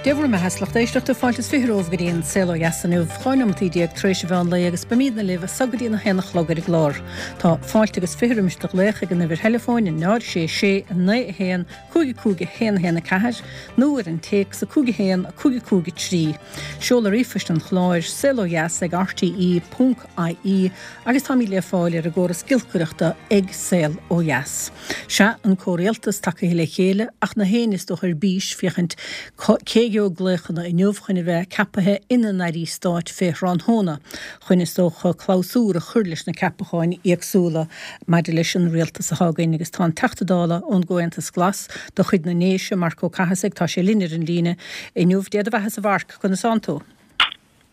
Dé bhur mbeatha 's lucht éisteachta, fáilte is 20 romhaibh go dtí an Saol Ó Dheas inniu, 12 neomataí tar éis an mheán lae agus beimídne libh as so go dtí an 1 a chlog ar an gclár. Tá fáilte agus 20 roimis do ghlaoch ag an uimhir theileafóin 0 6 6 9 1 5 5 1 1 4 nó ar an téacs 5 1 5 5 3. Seoladh ríomhphoist an chláir, saolodheas ag rte ponc ie agus táimid le fáil ar an gcóras giolcaireachta ag Saol Ó Dheas. Sea, an comhrialtas tagaithe le chéile ach na héinne is dócha ar bís féachaint cé a gheobhaidh glaochanna inniu chun a bheith ceapaithe ina n-airí stáit fé thráthnóna, chun is dócha clabhsúr a chur leis na ceapacháin éagsúla maidir leis an rialtas atá againn. Agus tá an Teachta Dála ón gComhaontas Glas de chuid na nDéise, Marc Ó Cathasaigh, tá sé linn ar an líne inniu. Dé do bheatha-sa a Mhairc, conas tánn tú?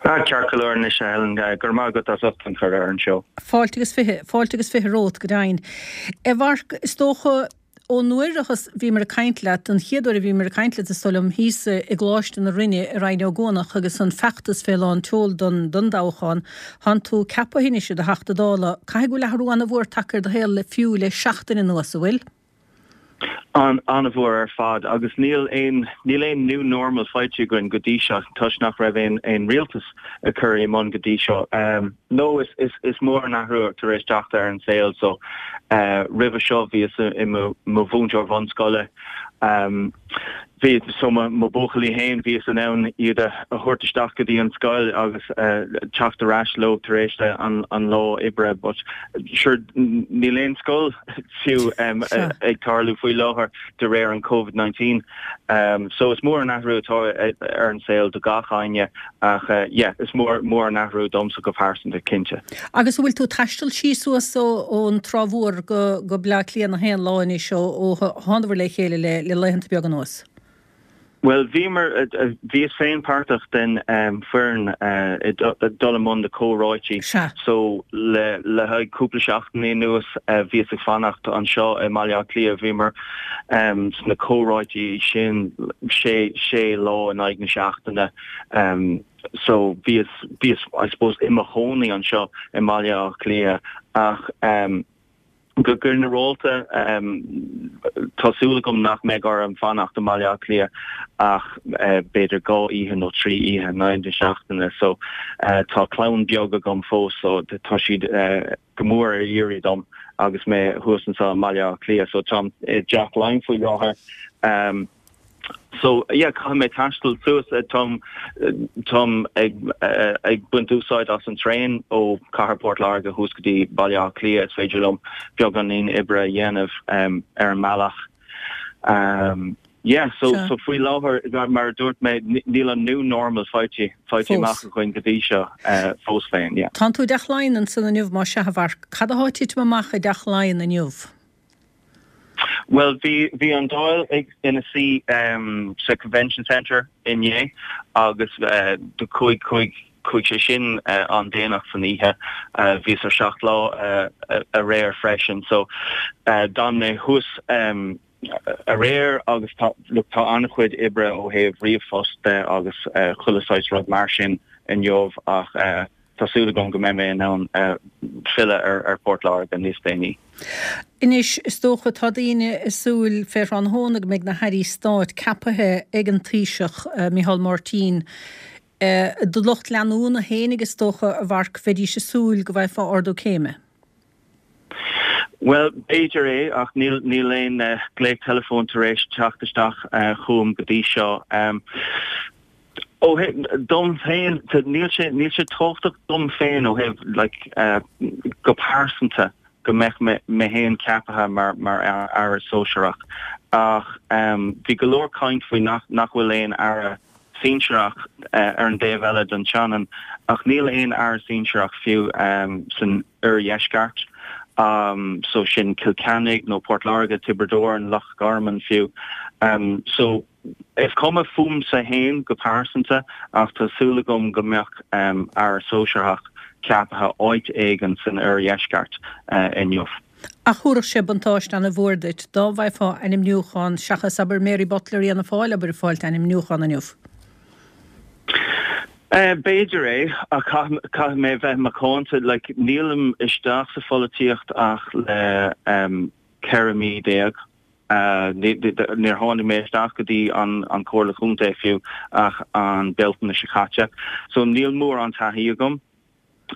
Ah, ceart go leor anois, a Helen. Go raibh maith agat as ucht an cuireadh ar an seó. Fáilte agus 20, fáilte agus 20 romhat, go deimhin. A Mhairc, is dócha, ón uair a bhíomar ag caint leat, an chéad uair a bhíomar ag caint leat, is dóigh liom, thíos i gColáiste na Rinne i Rinn Ó gCuanach agus an feachtas fé lán tseoil don, don dtoghchán, tánn tú ceaptha anois i do Theachta Dála. Caithfidh go bhfuil athrú an-mhór tagtha ar do shaol le fiú le seachtain anuas, an bhfuil? An-mhór ar fad agus níl aon níl aon new normal faighte againn go dtí seo toisc nach raibh aon aon rialtas curtha i mbun go dtí seo. No is is is mór an athrú tar éis teacht ar an saol so roimhe seo bhíos i mo mo mhúinteoir bhunscoile. Bhí so mo mo buachaillí féin bhíos in ann iad a thabhairt isteach go dtí an scoil agus teacht ar ais leo tar éis an an lá oibre but sure níl aon scoil fiú ag tarlú faoi láthair de réir an Covid-19. So is mór an athrú atá ar an saol do gach éinne ach yeah is mór mór an athrú domsa go pearsanta cinnte. Agus an bhfuil tú ag taisteal síos suas ón Trá Mhór go go Bleá Cliath nach aon lá anois ó ó thánabhair le chéile le le laethanta beaga anuas? Bhuel, bhíomar, bhíos féin páirteach den foireann ag dul i mbun na comhráití. So le le haghaidh cúpla seachtainí anuas bhíos ag fanacht anseo i mBaile Átha Cliath. Bhíomar sna comhráití sin sé sé lá in aghaidh na seachtaine. So bhíos bhíos I suppose i mo chónaí anseo i mBaile Átha Cliath ach Go ginearálta, tá súil agam nach mbeidh orm fanacht i mBaile Átha Cliath ach b'fhéidir 2 oíche nó 3 oíche in aghaidh na seachtaine. So tá clann beag agam fós so tá siad go mór ar iarraidh dom agus mé thuas anseo i mBaile Átha Cliath. So táim i dTeach Laighean faoi láthair. So yeah, caithfidh mé taisteal suas, táim, táim ag, ag baint úsáid as an traein ó Cathair Port Láirge thuas go dtí Baile Átha Cliath, is féidir liom beagáinín oibre a dhéanamh ar an mbealach. Yeah, so, so faoi láthair, mar a dúirt mé, níl an new normal faighte, faighte amach againn go dtí seo fós féin, yeah. Tánn tú i dTeach Laighean ansan inniu, más ea, a Mhairc. Cad athá ag titim amach i dTeach Laighean inniu? Bhuel, bhí, bhí an Dáil ag, ina suí sa Convention Centre inné agus do chuaigh, chuaigh, chuaigh sé sin an-déanach san oíche. Bhíos ar 7 Lá aréir freisin so d'fhan mé thuas aréir agus tá, look, tá an-chuid oibre ó thaobh ríomhphost de agus chuile saghas rud mar sin inniu ach Tá súil agam go mbeidh mé in ann filleadh ar Phort Láirge níos déanaí. Anois, is dócha, tá daoine ag súil fé thráthnóna go mbeidh na hairí stáit ceapaithe ag an Taoiseach, Micheál Martin. Do lucht leanúna fhéinig, is dócha, a Mhairc, bheidís ag súil go bhfaighfeá ardú céime. Bhuel, b'fhéidir é, ach níl níl aon glaoch teileafóin tar éis teacht isteach chugam go dtí seo. Ó thaobh dom féin, níl sé níl sé tábhachtach dom féin ó thaobh like go pearsanta go mbeadh mé mé féin ceaptha mar mar aire sóisearach ach bhí go leor caint faoi nach nach bhfuil aon aire sinsearach ar an dtaobh eile den tSionainn ach níl aon aire sinsearach fiú san oirdheisceart, so sin Cill Chainnigh nó Port Láirge, Tiobraid Árann, Loch Garman fiú. So is cuma fúmsa féin go pearsanta ach tá súil agam go mbeadh aire sóisearach ceaptha áit éigin san oirdheisceart inniu. Ach thabharfadh sé buntáiste ana-mhór duit dá bhfaighfeá ainmniúchán seachas, abair, Mary Butler Fhianna Fáil, abair, ag fáilt ainmniúchán inniu. B'fhéidir é, ach caithfidh mé bheith macánta. Like, nílim isteach sa pholaitíocht ach le 14 mí. Níor tháinig mé isteach go dtí an Chomhairle Chontae fiú ach an Bealtaine seo caite. So níl mórán taithí agam.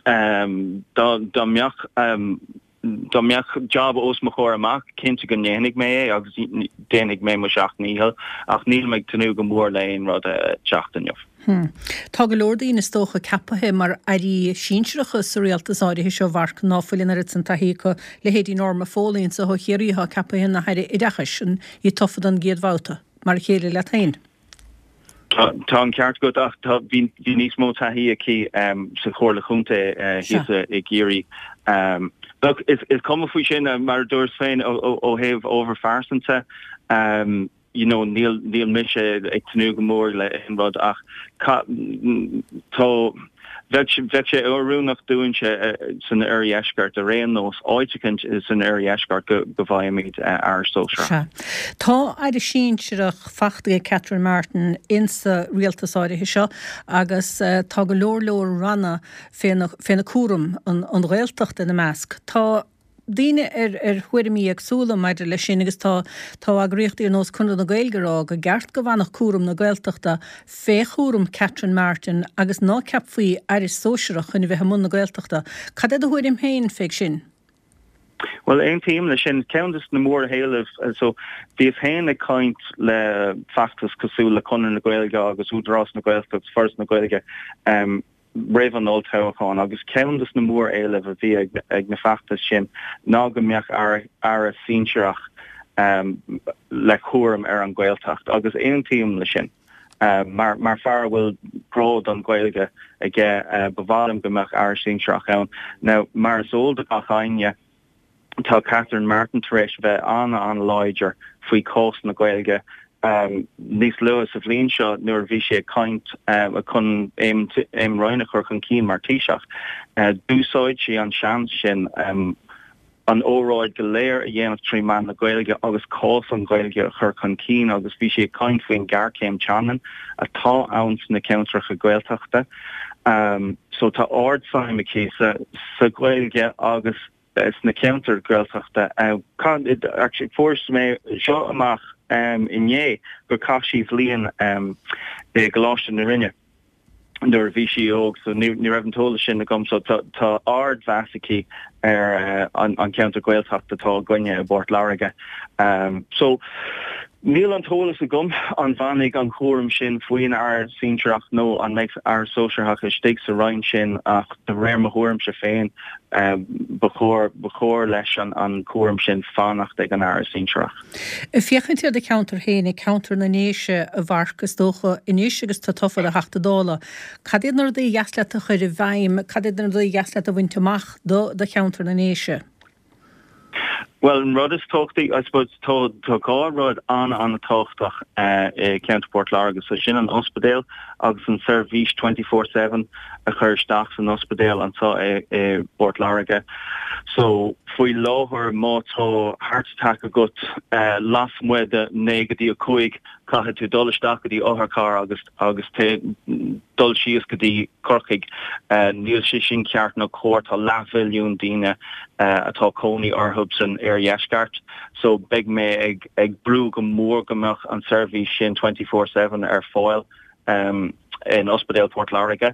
Dá mbeadh dá mbeadh job os mo chomhair amach, cinnte go ndéanfaidh mé é agus déanfaidh mé mo sheacht ndícheall ach nílim ag tnúth go mór le aon rud a teacht inniu. Tá go leor daoine is dócha ceapaithe mar airí sinsearacha sa rialtas áirithe seo, a Mharc, ná fuil an oiread san taithí acu, leithéidí Norma Foley anso ó Chiarraí atá ceapaithe ina hAire Oideachais, an í tofa don gcéad bhabhta, mar a chéile leat féin. Tá an ceart agat ach tá, bhí níos mó taithí aici sa Chomhairle Chontae thíos i gCiarraí. Look, is cuma faoi sin, mar a dúirt féin, ó thaobh ábhar phearsanta, you know, níl, níl mise ag tnúth go mór le aon rud ach tá, bheadh, bheadh sé oiriúnach dúinnse san oirdheisceart ar aon nós, áit eicint san oirdheisceart go, go bhfaighimid aire sóisearach. Sea. Tá aire sinsearach fachta ag Catherine Martin insa rialtas áirithe seo agus tá go leor leor ranna féna, féna cúram, an, an Ghaeltacht ina measc. Tá. daoine ar ar thuairimí éagsúla maidir leis sin agus tá tá eagraíochtaí ar nós Conradh na Gaeilge ag rá go gceart go bhfanfadh cúram na Gaeltachta fé chúram Catherine Martin agus ná ceapfaí aire sóisearach chun a bheith i mbun na Gaeltachta. Cad é do thuairim féin fé sin? Bhuel, aontaím leis sin. Ceann de na móréilimh, so bhíos féin ag caint le feachtas cosúil le Conradh na Gaeilge agus Údarás na Gaeltachta agus Foras na Gaeilge, roimh an olltoghchán agus ceann de na móréilimh a bhí ag na feachtais sin ná go mbeadh aire sinsearach le cúram ar an Ghaeltacht agus aontaím le sin. Mar fear a bhfuil grá don Ghaeilge aige ba mhaith liom go mbeadh aire sinsearach ann. Now mar is eol do gach éinne, Tá Catherine Martin tar éis bheith an-an-láidir faoi chás na Gaeilge. Níos luaithe sa bhliain seo nuair a bhí sí ag caint chun Eamon Ryan a chur chun cinn mar Taoiseach, d'úsáid sí an seans sin an óráid go léir a dhéanamh trí mheán na Gaeilge agus cás an Ghaeilge a chur chun cinn agus bhí sí ag caint faoin ghéarchéim teangan atá ann sna ceantracha Gaeltachta. So tá ardsuim aici sa Ghaeilge agus sna ceantair Ghaeltachta. Actually fuair mé seo amach inné gur chaith sí bhliain i gColáiste na Rinne nuair a bhí sí óg so ní raibh an t-eolas sin agam so tá ardmheas aici ar an cheantar Gaeltachta atá againne i bPort Láirge. So níl an t-eolas agam an bhfanfaidh an cúram sin faoin Aire Sinsearach nó an mbeidh Aire Sóisearach istigh sa Roinn sin ach de réir mo thuairimse féin Ba chóir, ba chóir leis an cúram sin fanacht ag an Aire Sinsearach. Ag féachaint ar do cheantar féin, ceantar na nDéise, a Mharc, is dócha, anois agus tú tofa do Theachta Dála, cad iad na rudaí a dheas leat a chur i bhfeidhm, cad iad na rudaí a dheas leat a bhaint amach do do cheantar na nDéise? Bhuel, an rud is tábhachtaí, I suppose, tá dhá rud an-an-tábhachtach i gceantar Port Láirge, so sin an ospidéal agus an seirbhís 24/7 a chur isteach san ospidéal anseo i bPort Láirge. So faoi láthair má tá heart attack agat lasmuigh de 9 go dtí 5, caithfidh tú dul isteach go dtí otharcharr agus agus dul síos go dtí Corcaigh. Níl sé sin ceart nó cóir. Tá leathmhilliún daoine atá cónaí orthu san oirdheisceart so beidh mé ag ag brú go mór go mbeadh an seirbhís sin 24/7 ar fáil in Ospidéal Port Láirge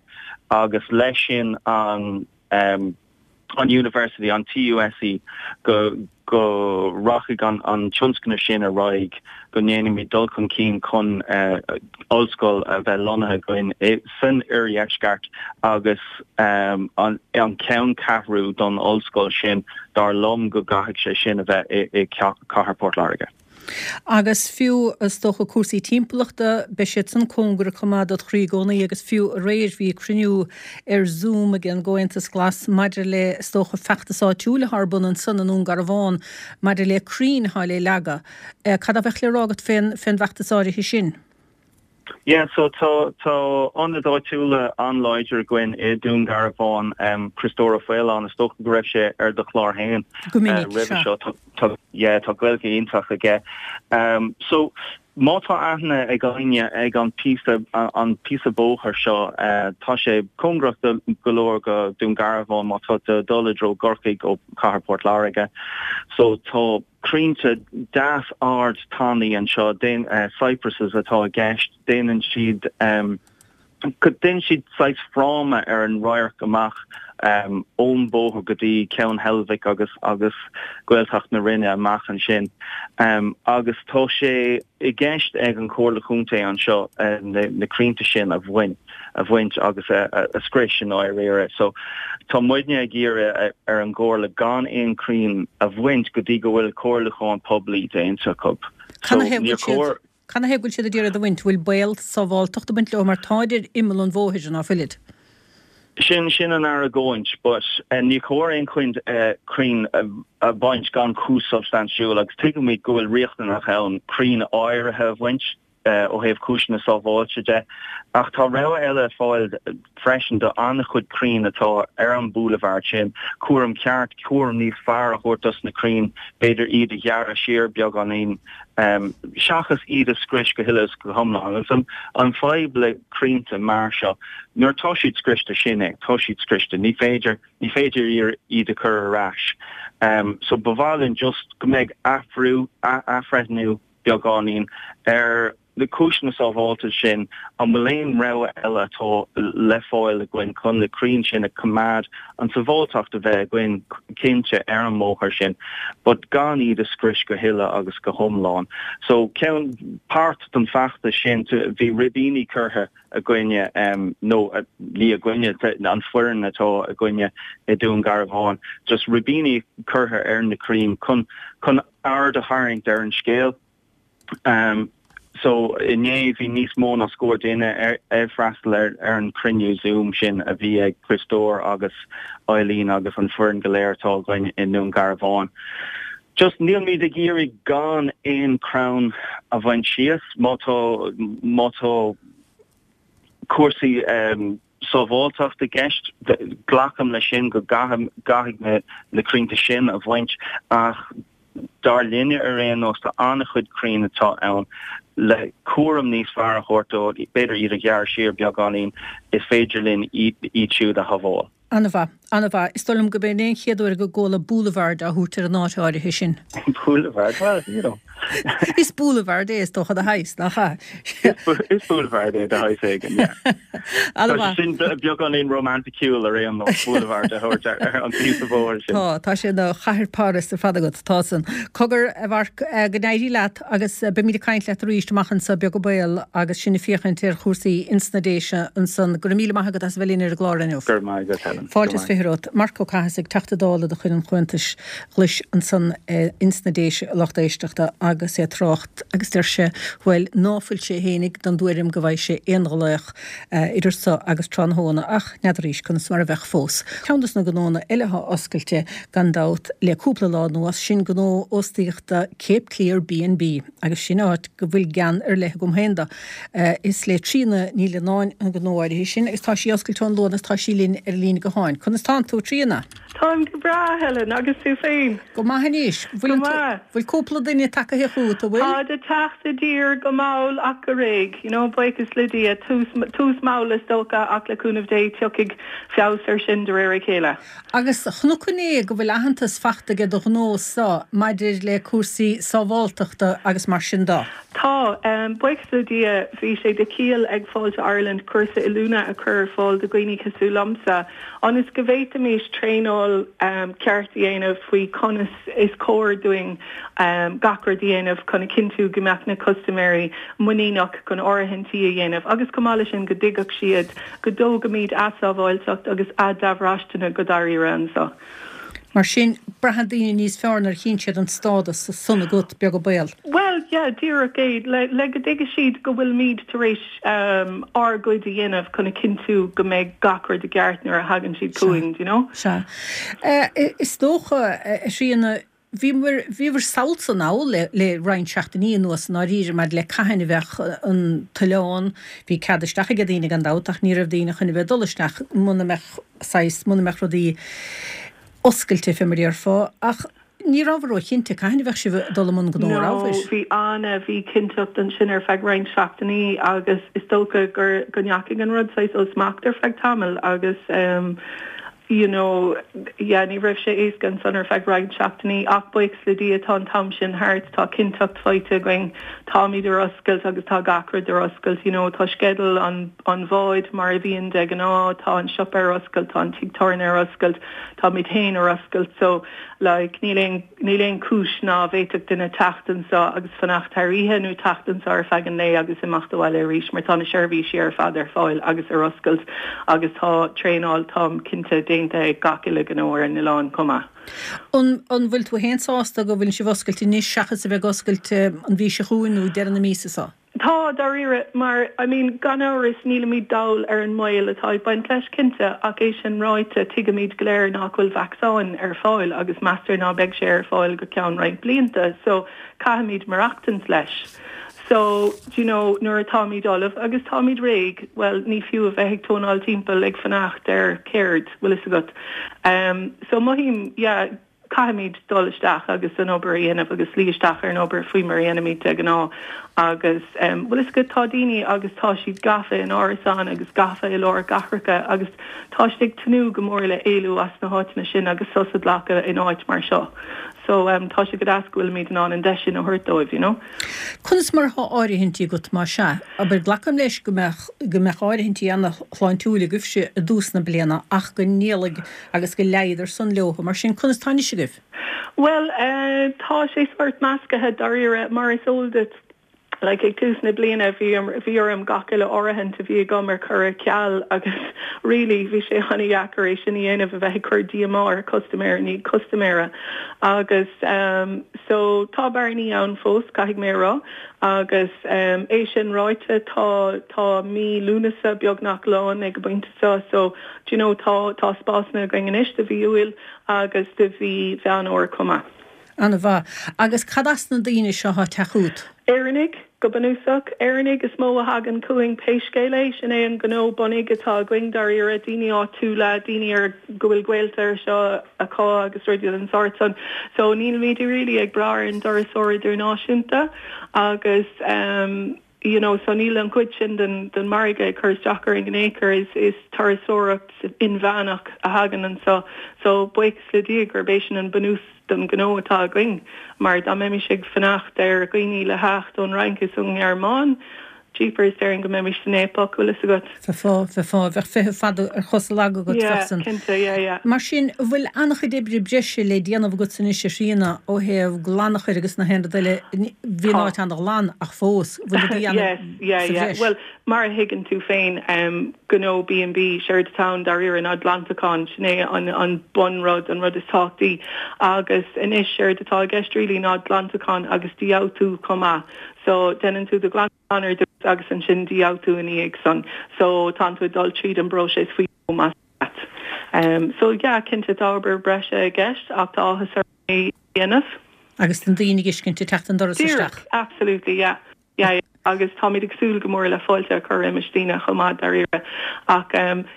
agus leis sin an an University, an TUSE, go go rachaidh an an tionscnamh sin ar aghaidh, go ndéanfaimid dul chun cinn chun ollscoil a bheith lonnaithe againn san oirdheisceart agus an an ceanncheathrú don ollscoil sin, dar liom go gcaithfidh sé sin a bheith i i gcathair Port Láirge. Agus fiú, is dócha, cúrsaí timpeallachta, beidh siad san cóngarach chomh maith dod chroí i gcónaí agus fiú aréir bhí cruinniú ar Zoom ag an gComhaontas Glas maidir le, is dócha, feachtas áitiúil atá ar bun ansan i nDún Garbhán maidir le crainn atá le leagadh. Cad a bheadh le rá agat fén bhfeachtas áirithe sin? Yeah, so tá tá ionad áitiúla an-láidir againn i Dún Garbhán, Criostóir Ó Faoláin, is dócha go raibh sé ar do chlár féin Go minic, roimhe seo. Tá tá yeah, tá Gaeilge iontach aige. So má tá aithne ag éinne ag an píosa an píosa bóthair seo, tá sé cóngarach do go leor go Dún Garbhán má tá tú ag dul i dtreo Corcaigh ó Cathair Port Láirge. So tá. crainnte deas ard tanaí anseo, cypresses atá i gceist, déanann siad déanann siad saghas fráma ar an radharc amach ón bóthar go dtí Ceann Heilbhic agus agus Gaeltacht na Rinne amach ansin. Agus tá sé i gceist ag an Chomhairle Chontae anseo na crainnte sin a bhaint a bhaint agus a scrios i ndáiríre. So tá muidne ag iarraidh ar an gComhairle gan aon crainn a bhaint go dtí go bhfuil comhairliúchán poiblí déanta acu. So níor chóir. Canathaobh go bhfuil siad ag iarraidh iad a bhaint? Bhfuil baol sábháltachta ag baint leo mar táid ar imeall an bhóthair, ná fuilid? Sin, sin an argóint, but ní chóir aon crainn a bhaint gan cúis substaintiúil agus tuigimid go bhfuil riachtanach ann crainn áirithe a bhaint ó thaobh cúiseanna sábháilte de ach tá rogha eile ar fáil freisin do an-chuid crainn atá ar an boulevard sin, cúram ceart, cúram níos fearr a thabhairt dos na crainn, b'fhéidir iad a ghearradh siar beagáinín. seachas iad a scrios go huile is go hiomlán. Agus an fadhb le crainnte mar seo, nuair atá siad scriosta, sin é, tá siad scriosta, ní féidir, ní féidir iad a chur ar ais. So ba mhaith linn just go mbeidh athrú, athbhreithniú beagáinín ar na cúiseanna sábháilte sin, an bhfuil aon rogha eile atá le fáil againn chun na crainn sin a choimeád, an tsábháilteacht a bheith againn cinnte ar an mbóthar sin, but gan iad a scrios go huile agus go hiomlán. So ceann, páirt den feachtas sin, bhí ribíní curtha againne, nó ní againne, an foireann atá againne i Dún Garbhán, just ribíní curtha ar na crainn chun, chun aird a tharraingt ar an scéal. So inné bhí níos mó ná scór duine ag freastal ar an chruinniú Zoom sin a bhí ag Criostóir agus Eileen agus an foireann go léir atá againn i nDún Garbhán. Just nílmid ag iarraidh gan aon chrann a bhaint síos má tá má tá cúrsaí sábháilteachta i gceist. Glacaim leis sin go gcaithfidh na crainnte sin a bhaint ach dar linne ar aon nós tá an-chuid crainn atá ann le cúram níos fearr a thabhairt dóibh, b'fhéidir iad a ghearradh siar beagáinín, is féidir linn iad siúd a shábháil. An-mhaith. An-mhaith. Is dóigh liom gurb é an chéad uair go gcuala boulevard á thabhairt ar an áit áirithe sin. Boulevard? Well, you know. Is boulevard é is dócha de shaghas, nach ea? Is boulevard é de shaghas éigin, yeah. An-mhaith. Tá sé sin beagáinín rómanticiúil ar aon nós, boulevard a thabhairt ar an phíosa bóthair sin. Tá, tá sé ina chathair Páras ar fad agat, tá san. Cogar, a Mharc, go n-éirí leat agus beimid ag caint leat arís amach anso, beag an baol, agus sinn ag féachaint ar chúrsaí ins na Déise ansan. Go raibh míle maith agat as a bheith linn ar an gclár inniu. Go raibh maith agat, Helen. Fáilte is romhat. Marc Ó Cathasaigh, Teachta Dála de chuid an Chomhaontais Ghlais ansan ins na Déise, a lucht éisteachta, agus é ag trácht agus deir sé, bhuel, ná fuil sé fhéinig den dtuairim go bhfaighidh sé aon ghlaoch idir so agus tráthnóna, ach n'fheadaraís conas mar a bheadh fós. Ceann dos na gnónna eile atá oscailte, gan dabht, le cúpla lá anuas, sin gnó óstaíochta Cape Clear B&B, agus sin áit go bhfuil gean ar leith agam féin do. Is le Tríona Ní Leannáin an gnó áirithe sin, agus tá sí oscailte ón Luan agus tá sí linn ar an líne gutháin. Conas tánn tú, a Thríona? Táim go breá, Helen, agus tú féin? Go maith anois. Go maith. Bhfuil cúpla duine tagaithe chugat, an bhfuil? Táid ag teacht i dtír go mall ach go réidh, you know, buíochas le Dia. Tús, tús mall is dócha ach le cúnamh Dé tiocfaidh feabhas ar sin de réir a chéile. Agus chonac inné go bhfuil aitheantas fachta ag do ghnó-sa maidir le cúrsaí sábháltachta agus mar sin de. Tá. Buíochas le Dia bhí sé de chiall ag Fáilte Ireland cúrsa oiliúna a chur ar fáil do dhaoine cosúil liomsa ionas go bhféadfaimis traenáil ceart a dhéanamh faoi conas is cóir dúinn gach rud a dhéanamh chun a chinntiú go mbeadh na custaiméirí muiníneach chun áirithintí a dhéanamh agus chomh maith leis sin go dtuigfeadh siad go dtógaimid a sábháilteacht agus a dtabhráisteanna go dáiríre anseo. Mar sin, braitheann daoine níos fearr nuair a chíonn siad an stádas san agat, beag an baol. Bhuel, yeah, díreach é. Le, le go dtuigfidh siad go bhfuilimid tar éis ár gcuid a dhéanamh chun a chinntiú go mbeidh gach rud i gceart nuair a thagann siad chugainn, do you know? Sea. Is dócha, a Thríona, Bhíomar, bhíobhair samhalta anall le, le roinnt seachtainí anuas i ndáiríre maidir le cathain a bheadh an t-oileán, bhí cead isteach ag daoine gan dabht ach ní raibh daoine chun a bheith ag dul isteach muna mbeadh saghas, muna mbeadh rudaí oscailte fé mar a déarfá ach ní rabhabhair ró-chinnte cathain a bheadh sibh ag dul i mbun gnó, No, rabhabhair? bhí an-mhíchinnteacht ansin ar feadh roinnt seachtainí agus is dócha gur, go ndeachaigh an rud saghas ó smacht ar feadh tamaill agus. You know, yeah, ní raibh sé éasca ansan ar feadh roinnt seachtainí ach buíochas le Dia tá an t-am sin thart, tá cinnteacht faighte againn, táimid ar oscailt agus tá gach rud ar oscailt, you know, tá sceideal an, an bháid mar a bhíonn de ghnáth, tá an siopa ar oscailt, tá an tigh tábhairne ar oscailt, táimid féin ar oscailt so, like, níl aon, níl aon chúis ná bhféadfadh duine teacht anso agus fanacht thar oíche nó teacht anso ar feadh an lae agus imeacht abhaile arís mar tá na seirbhísí ar fad ar fáil agus ar oscailt agus tá traenáil, táim cinnte, déanta ag gach uile ghnó ar an oileán chomh maith. An, an bhfuil tú féin sásta go bhfuil sibh oscailte anois seachas a bheith ag oscailt an mhí seo chugainn nó deireadh na míosa seo? Tá, dáiríre, mar, I mean, gan amhras, nílimid dall ar an mbaol atá ag baint leis, cinnte, ach é sin ráite, tuigimid go léir nach bhfuil vacsaín ar fáil agus meastar ná beidh sé ar fáil go ceann roinnt blianta, so caithfimid maireachtaint leis. So, do you know, nuair atáimid ullamh agus táimid réidh, bhuel, ní fiú a bheith ag tónáil timpeall ag fanacht ar céard, bhfuil fhios agat. Um, so mothaím, yeah, Caithfimid dul isteach agus an obair a dhéanamh agus luí isteach ar an obair faoi mar a dhéanaimid de ghnáth agus, bhfuil fhios agat, tá daoine agus tá siad gafa in árasáin agus gafa i lár cathracha agus tá siad ag tnúth go mór le éalú as na háiteanna sin agus sos a ghlacadh in áit mar seo. So, tá sé go deas go bhfuilimid in ann an deis sin a thabhairt dóibh, you know. Conas mar atá áirithintí agat, más ea? Abair, glacaim leis go mbeadh, go mbeadh áirithintí ana-shláintiúil agaibhse i dtús na bliana ach go ndéalaigh agus go leáigheadar san leotha. Mar sin, conas tá anois agaibh? Bhuel, tá sé sórt meascaithe, dáiríre. Mar is eol duit, like, ag tús na bliana, bhí, bhí orm gach uile áirithint a bhí agam a chur ar ceal agus really, bhí sé an-dheacair é sin a dhéanamh, a bheith ag cur díomá ar chustaiméir i ndiaidh custaiméara. Agus, so, tá bearnaí ann fós, caithfidh mé a rá. Agus é sin ráite, tá, tá mí Lúnasa beagnach lán ag an bpointe seo, so, Do you know, tá, tá spásanna againn anois do mhí Iúil agus do mhí Mheán Fhómhair chomh maith. An-mhaith. Agus cad as na daoine seo atá ag teacht chugat? Éireannaigh, go bunúsach. Éireannaigh is mó a thagann chugainn pé scéal é. Sin é an gnó bunaidh atá againn dáiríre, daoine áitiúla, daoine ar, go bhfuil gaolta anseo acu agus rudaí den sórt san. So nílimid really ag brath ar an dturasóir idirnáisiúnta agus ehm, you know, so níl an chuid sin den, den margadh ag cur isteach orainn in aon chor, is, is turasóireacht inmheánach a thagann anso. So buíochas le Dia gurb é sin an bunús don ghnó atá againn, mar dá mbeimis ag fanacht ar dhaoine le theacht ón Fhrainc is ón nGearmáin, jeepers, déarfainn go mbeimis san fhaopach, bhfuil fhios agat. Bheifeá, bheifeá, bheadh feitheamh fada ar chosa laga agat, Yeah, bheadh san. cinnte, yeah, yeah. Mar sin, an bhfuil an-chuid oibre breise le déanamh agatsa anois, a Thríona, ó thaobh glanadh agus na haon rud eile, bhí an áit an-ghlan ach fós, bhfuil rudaí ann Yes, yeah, sa yeah. bhreis? Bhuel, mar a thuigeann tú féin, gnó B&B, séard atá ann dáiríre ná glantachán, sin é an, an bunrud, an rud is tábhachtaí. Agus anois, séard atá i gceist really ná glantachán agus dífhabhtú chomh maith. So, déanann tú do ghlantachán ar dtús agus ansin dífhabhtú ina dhiaidh san. So tánn tú ag dul tríd an bpróiseas faoi dhó más leat. So yeah, cinnte tá obair breise i gceist ach tá áthas orm é a dhéanamh. Agus na daoine ag fheiscint ag teacht an doras isteach. Díreach, absolutely, yeah. Yeah, yeah. Agus táimid ag súil go mór le fáilte a chur roimis daoine chomh maith, dáiríre. Ach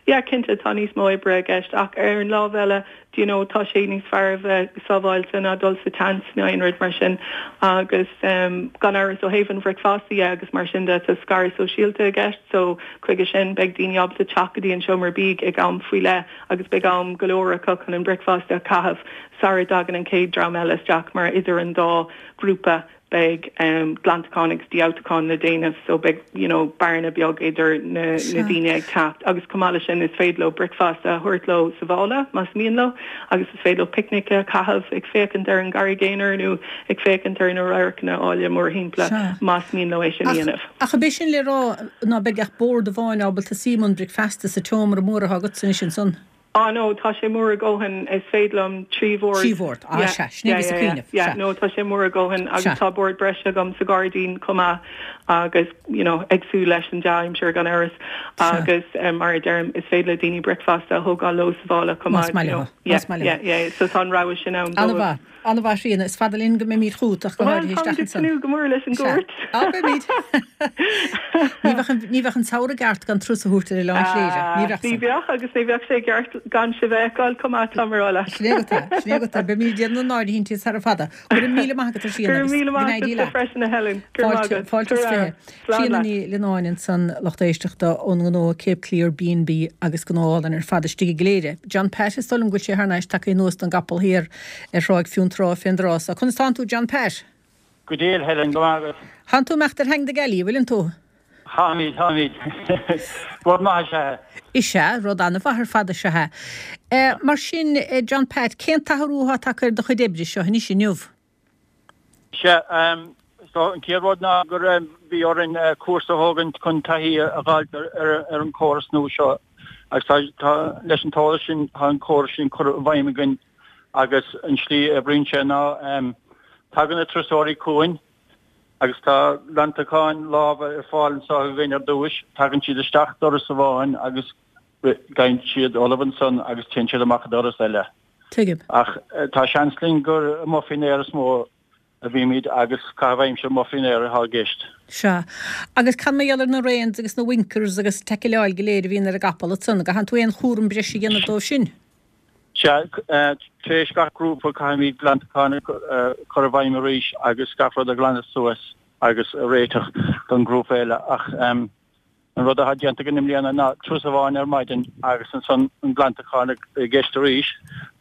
yeah, cinnte tá níos mó oibre i gceist ach ar an lámh eile, Do you know, tá sé níos fearr a bheith sábháilte ná dul sa tseans nó aon rud mar sin. Agus gan amhras ó thaobh an bhricfeasta dhe agus mar sin de, tá scaradh sóisialta i gceist so chuige sin beidh daoine ábalta teacht go dtí an seomra bídh ag am faoi leith agus beidh am go leor acu chun an bricfeasta a chaitheamh sara dtagann an chéad dream eile isteach mar idir an dá ghrúpa beidh glantachán agus dífhabhtúchán le déanamh so beidh you know bearna beag idir na na daoine ag teacht agus chomh maith leis sin is féidir leo bricfeasta a thabhairt leo sa mhála más mian leo agus is féidir leo picnic a chaitheamh ag féachaint ar an gCarraig Aonair nó ag féachaint ar na radharcanna áille mórthimpeall más mian leo é sin a dhéanamh. Ach ab é sin le rá ná beidh ach bord amháin ábalta suí i mbun bricfeasta sa tseomra mór atá agatsa anois ansan? Ah no, tá sé mór a dhóthain, is féidir liom 3 bhord. 3 bhord, ah sea, sin é a bhíos ag cuimhneamh, sea. Yeah, no, tá sé mór a dhóthain agus tá bord breise agam sa ghairdín chomh maith agus, you know, ag súil leis an dea-aimsir gan amhras agus mar a deirim, is féidir le daoine bricfeasta a thógáil leo sa mhála chomh maith, you know. Más maith leo, más maith leo. Yeah, yeah, so tá an rogha sin ann dóibh. An-mhaith. An-mhaith, Ríona. Is fada linn go mbeimid chugat, ach go háirithe isteach ansan. Bhuel, táimid ag tnúth go mór leis an gcuairt. Sea. Á, beimid. Ní bheadh an, ní bheadh an samhradh i gceart gan turas a thabhairt ar Oileán Chléire. Ní bheadh san. Ní bheadh, agus ní bheadh sé i gceart. gan sibh a fheiceáil chomh maith, tá mé a rá leat. Sin é agat é, sin é agat é. Beimid ag déanamh na n-áirithintí sara fada. Go raibh míle maith agat a Thríona Go raibh míle maith agatsa freisin a Helen. Go raibh maith Fáilte, agat. fáilte is 20. Slán Tríona leat. Ní Lionáin ansan, lucht éisteachta ón ngnó Cape Clear B&B agus gnó álainn ar fad istigh i gCléire. John Pat, is dóigh liom go bhfuil sé thar n-ais tagtha anuas don gcapall thiar ar Thráigh Fionntrá fén dtráth so. Conas tánn tú John Pat? Go diail, Helen, go maith agat. Thánn tú imeacht ar Hang the Galley, an bhfuileann tú? Táimid, táimid. Rud maith is ea é. Is ea, rud an-mhaith ar fad is ea é. Mar sin, John Pat, cén t-athrú atá tagtha ar do chuid oibre seo anois inniu? Sea, so an chéad rud ná gur bhí orainn cúrsa a thógaint chun taithí a dh'fháilt ar an chóras nua seo agus tá, tá, leis an t-eolas sin, tá an córas sin curtha i bhfeidhm againn agus an slí a oibríonn sé ná tagann na turasóirí chugainn, Agus tá glantacháin láimhe ar fáil anseo againn ar dtúis. Tagann siad isteach doras amháin agus gheibheann siad ullamh ansan agus téann siad amach an doras eile. Tuigim. Ach tá seans linn gur amuigh faoin aer is mó a bhímid agus caitheamh aimsire amuigh faoin aer atá i gceist. Sea. Agus cad mar gheall ar na reins agus na winkers agus taiceáil go léir a bhíonn ar an gcapall ansan? An gcaitheann tú aon chúram breise a dhéanamh dóibh sin? Sea, tar éis gach grúpa caithfimid glantachán a chur i bhfeidhm arís agus gach rud a ghlanadh suas agus a réiteach don ghrúpa eile. Ach an rud atá déanta againn i mbliana ná turas amháin ar maidin agus ansan an glantachán i gceist arís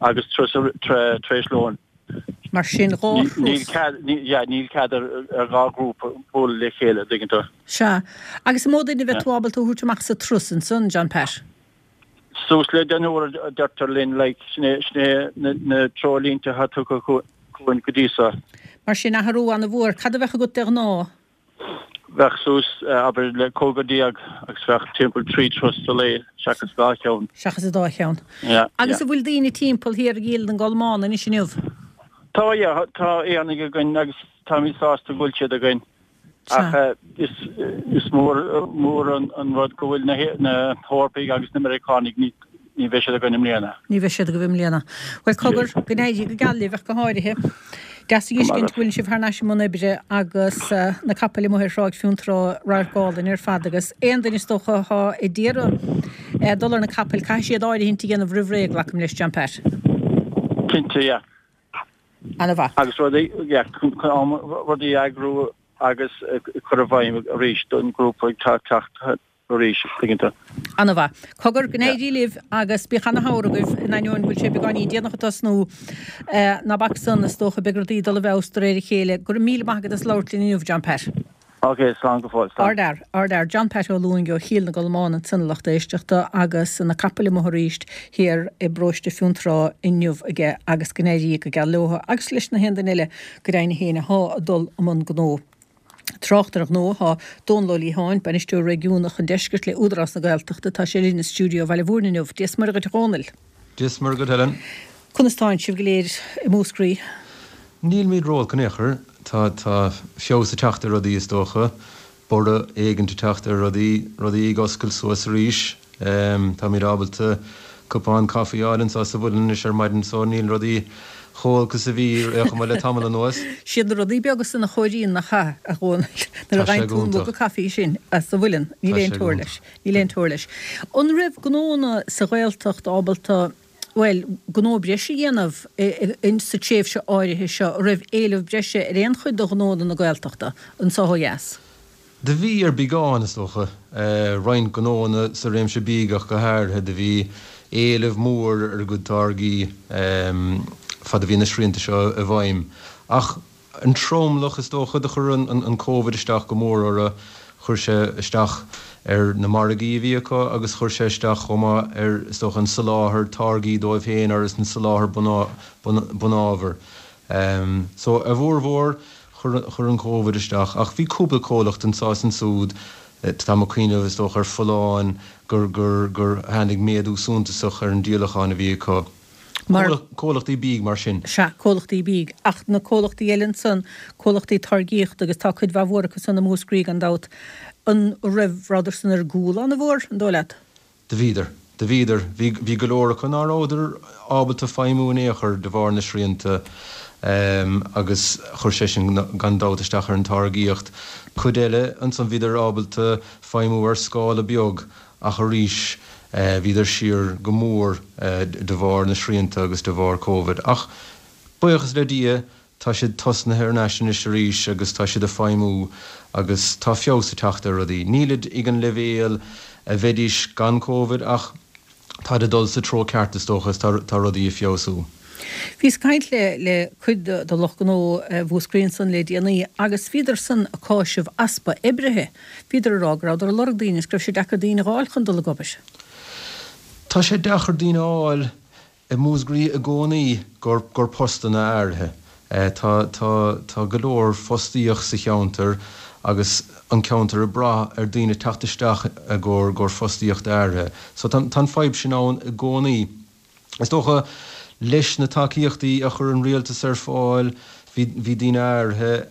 agus turas tar éis lóin. Mar sin, dhá thuras. Níl cead, yeah, níl cead ar dhá ghrúpa bualadh le chéile, an dtuigeann tú. Sea. Agus an mó duine a bheidh tú ábalta a thabhairt amach sa turas ansan, John Pat? Suas le deichniúr a deirtear linn, like, sin é, sin é na treoirlínte atá tugtha chugainn go dtí so. Mar sin, athrú an-mhór. Cad a bheadh agat de ghnáth? Bheadh suas, abair, le 15 agus bheadh timpeall 3 turas sa lae seachas dhá cheann. Seachas an dá cheann. Yeah, yeah. Agus an bhfuil daoine timpeall thiar i gCill na gColmán anois inniu? Tá, yeah, tá Éireannaigh againn agus táimid sásta go bhfuil siad againn. Ach is mór an rud go bhfuil na hEorpaigh agus na Meiriceánaigh, ní bheidh siad againn i mbliana. Ní bheidh siad agaibh i mbliana. Bhuel, cogar, go n-éirí go geal libh ach go háirithe. Deas a dh'fheiscint go bhfuil sibh thar n-ais i mbun oibre agus na capaill amuigh ar Thráigh Fionntrá, radharc álainn ar fad agus aon duine is dócha atá ag iarraidh dul ar na capaill, caithfidh siad áirithint a dhéanamh roimh ré, glacaim leis, John Pat. Cinnte, yeah. Ana-mhaith. Agus rudaí, yeah, rudaí a eagrú agus cur i bhfeidhm arís don ghrúpa ag teacht arís, tuigeann tú. Ana-mhaith. Cogar, go n-éirí libh agus bíodh ana-shamhradh agaibh, in ainneoin go bhfuil sé beagáinín déanach ag tosnú. Ná bac san, is dócha, beidh rudaí ag dul i bhfeabhas de réir a chéile. Go raibh míle maith agat as labhairt linn inniu, John Pat. Ok, slán go fóill, slán. Ardfhear, ardfhear. John Pat Ó Lúing ó Chill na gColmán ansan a lucht éisteachta agus na capaill amuigh arís thiar i bparóiste Fionntrá inniu aige agus go n-éirí go geal leotha agus leis na haon duine eile go deimhin féin athá ag dul i mbun gnó. Trácht ar ghnó thá Dónal Ó Liatháin, Bainisteoir Réigiúnach an Deiscirt le Údarás na Gaeltachta, tá sé linn i stiúideo Bhaile Mhúirne inniu. Dia 's Muire dhuit a Dhónaill. Dia 's Muire dhuit Helen. Conas tánn sibh go léir i Múscraí? Nílmid ró-olc in aon chor. Tá, tá feabhas ag teacht ar rudaí is dócha. Borradh éigint ag teacht ar rudaí, rudaí ag oscailt suas arís. Táimid ábalta cupán caife a fháil anseo sa Mhuileann anois ar maidin so níl rudaí chomh holc is a bhí ar chuma le tamall anuas. Siad na rudaí beaga san a chóiríonn nach ea, a Dhónaill, nuair a Tá sé fhaigheann tú an go muga hiontach. caife sin as sa Mhuileann, níl Tá aon sé go teora hiontach. leis. Níl aon teora leis. An raibh gnónna sa Ghaeltacht ábalta bhuel, gnó breise a dhéanamh sa tréimhse áirithe seo, an raibh éileamh breise ar aon chuid de ghnónna na Gaeltachta anseo ó dheas? Do bhí ar beagán, is dócha. Roinnt gnónna sa réimse bídh ach go háirithe. Do bhí éileamh mór ar a gcuid táirgí fad a bhí na srianta seo i bhfeidhm. Ach An tromlach, is dócha, do chuir an Covid isteach go mór orthu. Chuir sé isteach ar na margaí a bhí acu agus chuir sé isteach chomh maith ar, is dócha, an soláthar táirgí dóibh féin agus an soláthar bunábhar. So, a bhformhór, chuir an Covid isteach. Ach bhí cúpla comhlacht anseo is ansúd, táim ag cuimhneamh, is dócha, ar Folláin, gur, gur, gur tháinig méadú suntasach ar an díolachán a bhí acu. Mar. Comhlachtaí bídh mar sin. Sea, comhlachtaí bídh. Ach na comhlachtaí eile ansan, comhlachtaí táirgíochta, agus tá cuid mhaith mhór acu san i Múscraí gan dabht, an raibh, rabhadar san ar gcúl an-mhór, an dóigh leat? Do bhíodar. Do bhíodar. Bhí, bhí go leor acu ná rabhadar ábalta feidhmiú in aon chor de bharr na srianta agus chuir sé sin gan dabht isteach ar an táirgíocht. Cuid eile ansan bhíodar ábalta feidhmiú ar scála beag ach arís. Bhíodar siar go mór de bharr na srianta agus de bharr Covid. Ach buíochas le Dia tá siad tosnaithe thar n-ais anois arís agus tá siad ag feidhmiú agus tá feabhas ag teacht ar rudaí. Nílid ag an leibhéal a bheidís gan Covid ach táid ag dul sa treo ceart is dócha is tá rudaí ag feabhsú. Bhíos ag caint le le cuid de lucht gnó Mhúscraí ansan le déanaí agus bhíodar san ag cáiseamh easpa oibrithe. Bhíodar ag rá go rabhadar ag lorg daoine is go raibh sé deacair daoine a dh'fháil chun dul ag obair. Tá sé deacair daoine a fháil i Múscraí i gcónaí gur gur postanna áirithe. Tá tá tá go leor fostaíocht sa cheantar agus an ceantar ag brath ar daoine teacht isteach i gcomhair gcomhair fostaíocht áirithe. So tá tá an fadhb sin ann i gcónaí. Is dócha leis na tacaíochtaí a chuir an rialtas ar fáil bhí bhí daoine áirithe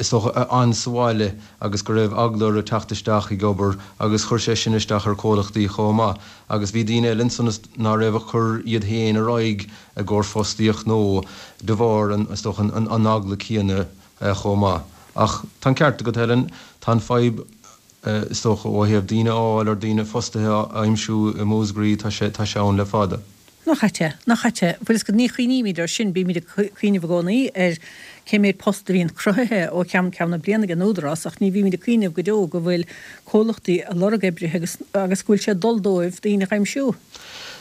is dócha, a fhan sa bhaile agus go raibh eagla orthu teacht isteach ag obair agus chuir sé sin isteach ar chomhlachtaí chomh maith agus bhí daoine eile ansan ná raibh ag cur iad féin ar aghaidh i gcomhair fostaíocht nó de bharr an, is dócha, an eagla céanna chomh maith. Ach tá an ceart agat Helen, tá an fadhb is dócha, ó thaobh daoine a fháil or daoine fostaithe a aimsiú i Múscraí, tá sé, tá sé ann le fada. Nach ait é? Nach ait é? Bhfuil fhios agat, ní chuimhnímid air sin, bímid ag cuimhneamh i gcónaí ar cé méid post a bhíonn cruthaithe ó cheann ceann na bliana ag an Údarás ach ní bhímid ag cuimhneamh go deo go bhfuil comhlachtaí ag lorg oibrithe agus, agus go bhfuil sé ag dul dóibh daoine a aimsiú.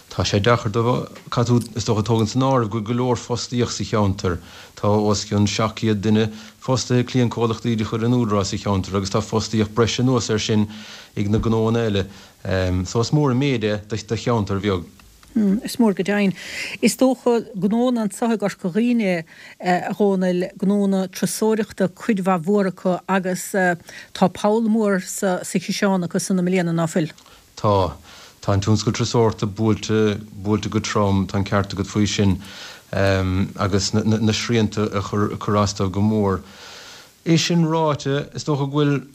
Tá sé deacair dóibh. Caithfidh tú, is dócha, tógaint san áireamh go bhfuil go leor fostaíocht sa cheantar. Tá os cionn 700 duine fostaithe ag cliantchomhlachtaí de chuid an Údaráis sa cheantar agus tá fostaíocht breise anuas air sin ag na gnóanna eile. So is mór an méid é do cheantar bheag. Is mór go deimhin. Is dócha, gnóanna anseo i gCorca Dhuibhne, a Dhónaill, gnóanna turasóireachta cuid mhaith mhór acu agus tá poll mór sa chiseán acu san i mbliana, ná fuil? Tá. Tá an tionscal turasóireachta buailte, buailte go trom, tá an ceart agat faoi sin, agus na srianta ag cur as dóibh go mór. É sin ráite, is dócha go bhfuil,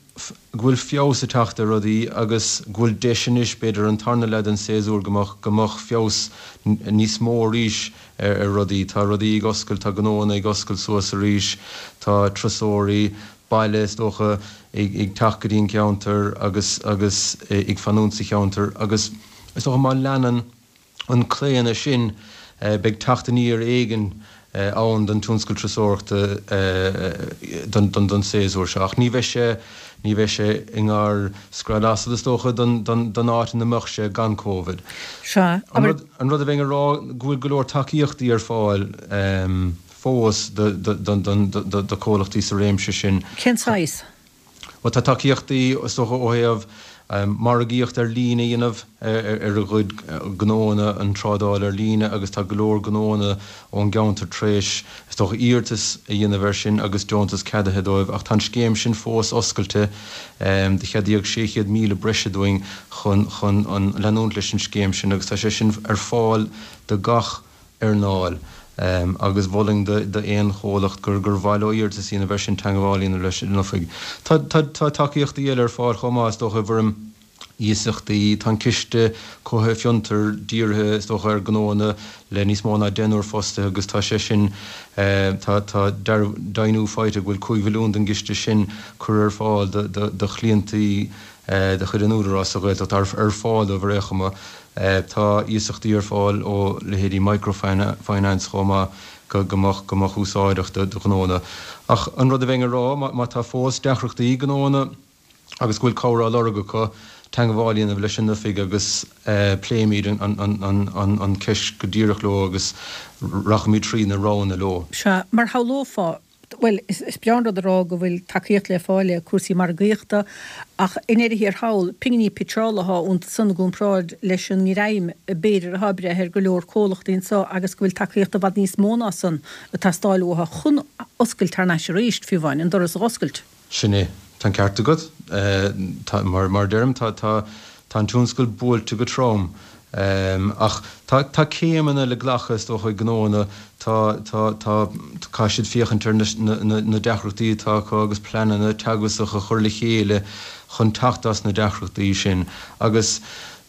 go bhfuil feabhas ag teacht ar rudaí agus go bhfuil deis anois, b'fhéidir, an tarna leath den séasúr go mbeadh, go mbeadh feabhas níos mó arís ar rudaí. Tá rudaí ag oscailt, tá gnóanna ag oscailt suas arís, tá turasóirí, baile, is dócha, ag teacht go dtí an ceantar agus agus ag fanúint sa cheantar agus is dócha má leanann an claonadh sin beidh teacht aniar éigin ann don tionscal turasóireachta don don séasúr seo ach ní bheidh sé ní bheidh sé i ngar scread asail is dócha don don don áit ina mbeadh sé gan Covid. Sea, An rud an rud a bheinn a rá go bhfuil go leor tacaíochtaí ar fáil. fós do chomhlachtaí sa réimse sin. Cén saghas? Bhuel, tá tacaíochtaí, is dócha, ó thaobh margaíocht ar líne a dhéanamh ar a gcuid gnóanna, an trádáil ar líne agus tá go leor gnóanna ón gceantar tar éis, is dócha, iarratas a dhéanamh air sin agus deontas ceadaithe dóibh ach tá an scéim sin fós oscailte. Do ceadaíodh 600,000 breise dúinn chun chun leanúint leis an scéim sin agus tá sé sin ar fáil do gach earnáil agus mholfainn d'aon chomhlacht gur gur mhaith leo iarratas a dhéanamh air sin teagmháil a dhéanamh leis an oifig. Tá tá tacaíochtaí eile ar fáil chomh maith is dócha i bhfoirm iasachtaí. Tá an Ciste Cothaithe Fiontar dírithe is dócha ar ghnóanna le níos mó ná deichniúr fostaithe agus tá sé sin tá tá deimhniú faighte go bhfuil 5 mhilliún den gciste sin curtha ar fáil do do do chliantaí de chuid an Údaráis sa Ghaeltacht ar fáil dóibh ar aon chuma. Tá iasachtaí ar fáil ó leithéidí Microfinance chomh maith go mbeadh go mbeadh úsáideach do ghnóanna. Ach an rud a bheinn a rá, má tá fós deacrachtaí ag gnóanna agus go bhfuil cabhair á lorg acu, teagmháil a dhéanamh leis an oifig agus pléimid an cheist go díreach leo agus rachaimid trí na roghanna leo. Sea, mar shamhlófá, Bhuel, is breá an rud a rá go bhfuil tacaíocht le fáil le cúrsaí margaíochta, ach i ndeireadh thiar thall, pinginí pitseála atá iontu san i gcomparáid leis an ngreim b'fhéidir atá ag breith ar go leor comhlachtaí anseo agus go bhfuil tacaíocht i bhfad níos mó ná san ag teastáil uathu chun oscailt thar n-ais arís, fiú amháin, an doras a dh'oscailt. Sin é. Tá an ceart agat. Tá, mar, mar a deirim, tá, tá, tá an tionscal buailte go trom. Ach tá, tá céimeanna le glacadh, is dócha, ag gnóanna. Tá, tá, tá, caithfidh siad féachaint ar na, na, na deacrachtaí atá acu agus pleananna teagmhasacha a chur le chéile chun teacht as na deacrachtaí sin. Agus.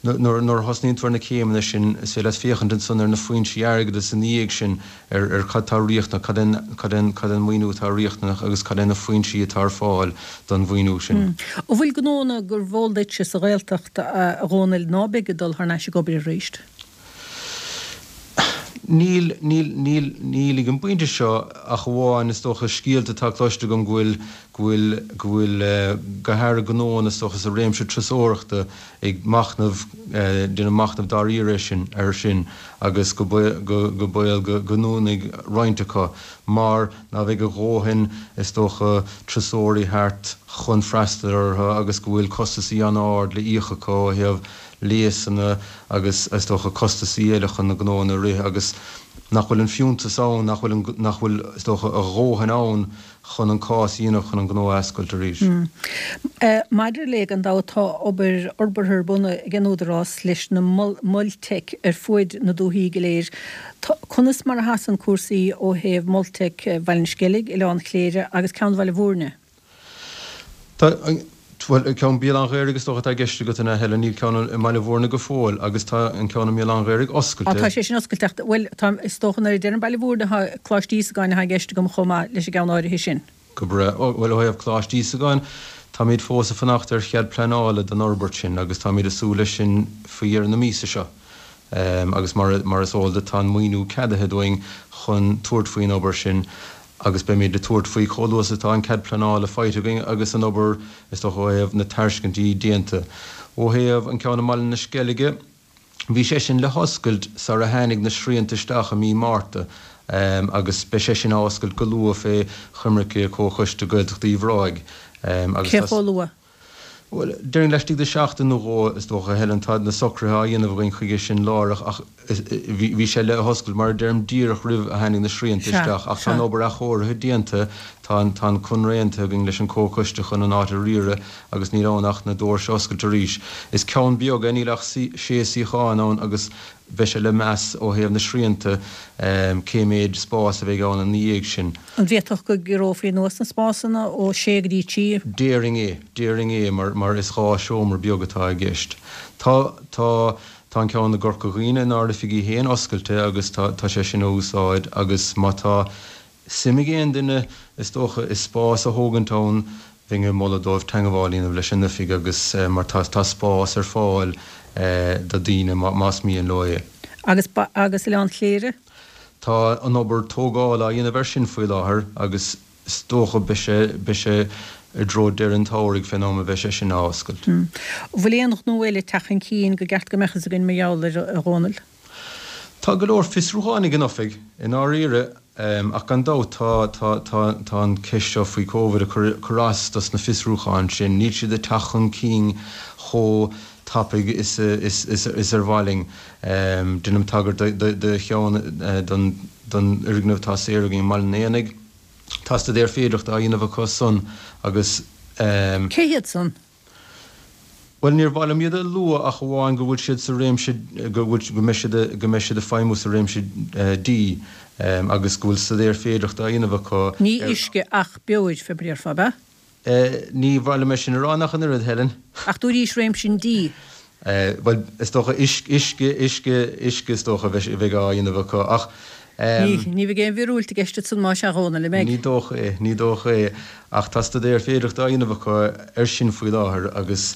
Nuair a thosnaíonn tú ar na céimeanna sin, is féidir leat féachaint ansan ar na foinsí airgeadais ina dhiaidh sin, ar ar cad tá riachtanach, cad é cad é cad é an maoiniú atá riachtanach agus cad é na foinsí atá ar fáil don mhaoiniú sin. An bhfuil gnóanna gurbh eol duitse sa Ghaeltacht, a Dhónaill, ná beidh ag dul thar n-ais ag obair arís? Níl, níl, níl, níl ag an bpointe seo ach amháin, is dócha, scéalta atá cloiste agam go bhfuil, go bhfuil, go bhfuil, go háirithe gnóanna, is dócha, sa réimse turasóireachta ag machnamh, déanamh machnamh dáiríre sin, air sin agus go, go, go baol go, go ndúnfaidh roinnt acu mar ná bheidh a dhóthain, is dócha, turasóirí thart chun freastal orthu agus go bhfuil costasaí an-ard le íoc acu ó thaobh léasanna agus, is dócha, costasaí eile chun na gnóanna a rith agus nach bhfuil an fiúntas ann, nach bhfuil an, nach bhfuil, is dócha, a dhóthain ann chun an cás a dhéanamh chun an gnó a oscailt arís. Maidir le, gan dabht, tá obair fhorbartha ar bun ag an Údarás leis na Moil Teic ar fuaid na dúthaí go léir. Conas mar a sheasann cúrsaí ó thaobh Mol Teic Bhaile an Sceilg, Oileán Chléire agus ceann Bhaile Bhúirne? Tá, bhuel, ceann Bhéal Átha'n Ghaorthaidh is dócha atá i gceist agat, an ea, Helen? Níl ceann i mBaile Bhúirne go fóill agus tá an ceann i mBéal Átha'n Ghaorthaidh oscailte. Á, tá sé sin oscailte ach, bhuel, tá, is dócha nuair a deirim Baile Bhúirne tá Coláiste Íosagáin atá i gceist agam chomh maith leis an gceann áirithe sin. Go breá. Bhuel, ó thaobh Coláiste Íosagáin, táimid fós ag fanacht ar chead pleanála don fhorbairt sin agus táimid ag súil leis sin faoi dheireadh na míosa seo. Agus mar, mar is eol duit, tá an maoiniú ceadaithe dúinn chun tabhairt faoin obair sin agus beimid ag tabhairt faoi chomh luath is atá an cead pleanála faighte againn agus an obair, is dócha, ó thaobh na tairiscintí déanta. Ó thaobh an ceann i mBaile na Sceilge, bhí sé sin le hoscailt sar a tháinig na srianta isteach i mí Márta agus beidh sé sin á oscailt go luath fé choimirce Comhchoiste Gaeltachta Uíbh Ráthaigh agus Cé chomh luath? Bhuel, déarfainn laistigh de sheachtain nó dhó, is dócha, Helen. Tá na socruithe á dhéanamh againn chuige sin láithreach ach bhí sé le hoscailt, mar a deirim, díreach roimh a tháinig na srianta isteach. Ach tá an obair athchóirithe déanta, tá an tá an conradh aontaithe againn leis an Comhchoiste chun an áit a riaradh agus níl ann ach na doirse a oscailt arís. Is ceann beag é, níl ach sé suíochán ann agus beidh sé le meas ó thaobh na srianta cé méid spás a bheidh ann ina dhiaidh sin. An bhféadfadh go gciorrófaí anuas na spásanna ó sé go dtí trí? Déarfainn é. Déarfainn é mar mar is 2 seomra beag atá i gceist. Tá tá tá an ceann i gCorca Dhuibhne inár oifigí féin oscailte agus tá tá sé sin á úsáid agus má tá suim ag aon duine, is dócha, i spás a thógaint ann, bheinn ag moladh dóibh teangmháil a dhéanamh leis an oifig agus mar tá tá spás ar fáil do daoine más mian leo é. Agus agus Oileán Chléire? Tá an obair tógála á dhéanamh air sin faoi láthair agus is dócha beidh sé beidh sé i dtreo deireadh an tsamhraidh fén am a bheidh sé sin á oscailt. An bhfuil aon ghnó eile ag teacht chun cinn gur ceart go mbeadh fhios againn mar gheall air, a Dhónaill? Tá go leor fiosrúcháin ag an oifig, i ndáiríre, ach gan dabht tá, tá, tá, tá an cheist seo faoi Covid ag cur, cur as dos na fiosrúcháin sin. Níl siad ag teacht chun cinn chomh tapaidh is, is, is, is ar mhaith linn. Déanaim tagairt do, do, do cheann, don, don fhoirgneamh atá saor againn i mBaile an Éanaigh. Tá staidéar féidearthachta á dhéanamh acu san agus. Cé hiad san? Bhuel, níor mhaith liom iad a lua ach amháin go bhfuil siad sa réimse, go bhfuil, go mbeidh siad, go mbeidh siad ag feidhmiú sa réimse dí agus go bhfuil staidéar féidearthachta á dhéanamh acu ar. Ní uisce ach beoir, fé mar a déarfá, ab ea? Ní mhaith liom é sin a rá ach an oiread, Helen. Ach dúraís réimse an dí. Bhuel, is dócha uisce, uisce, uisce is dócha a bheidh á dhéanamh acu ach. Ní bheidh aon mhíorúilt i gceist ansan más ea, a Dhónaill, an mbeidh? Ní dócha é, ní dócha é. Ach tá staidéar féidearthachta á dhéanamh acu air sin faoi láthair agus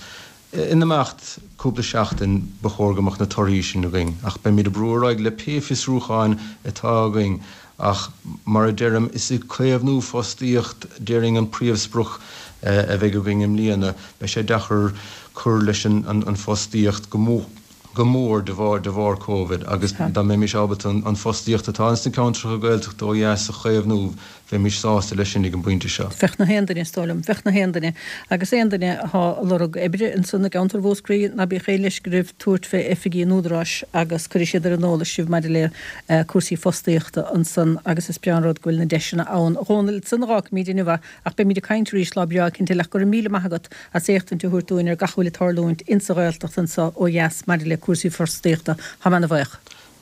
in imeacht cúpla seachtain ba chóir go mbeadh na torthaí sin againn. Ach beimid ag brú ar aghaidh le pé fiosrúcháin atá againn ach mar a deirim, is ag caomhnú fostaíocht déarfainn an príomhsprioc a bheidh againn i mbliana. Beidh sé deacair cur leis an bhfostaíocht go mór. go mór de bharr de bharr Covid agus dá mbeimis ábalta an fostaíocht atá ins na ceantracha Gaeltachta ó dheas a chaomhnú, bheimis sásta leis sin ag an bpointe seo. Bheadh na haon duine, is dóigh liom. Bheadh na haon duine. Agus aon duine athá ag lorg oibre ansan i gceantar Mhúscraí, ná bíodh aon leisce oraibh tabhairt fé oifigí an Údaráis agus cuirfidh siad ar an eolas sibh maidir le cúrsaí fostaíochta ansan agus is breá an rud go bhfuil na deiseanna ann. A Dhónaill, ansan a dh'fhágfaimíd inniu é ach beimíd ag caint arís lá breá eicínt eile ach go raibh míle maith agat as éachtaint a thabhairt dúinn ar gach a bhfuil ag tarlúint insa Ghaeltacht anso ó dheas maidir le cúrsaí fostaíochta. Tá mé ana bhuíoch.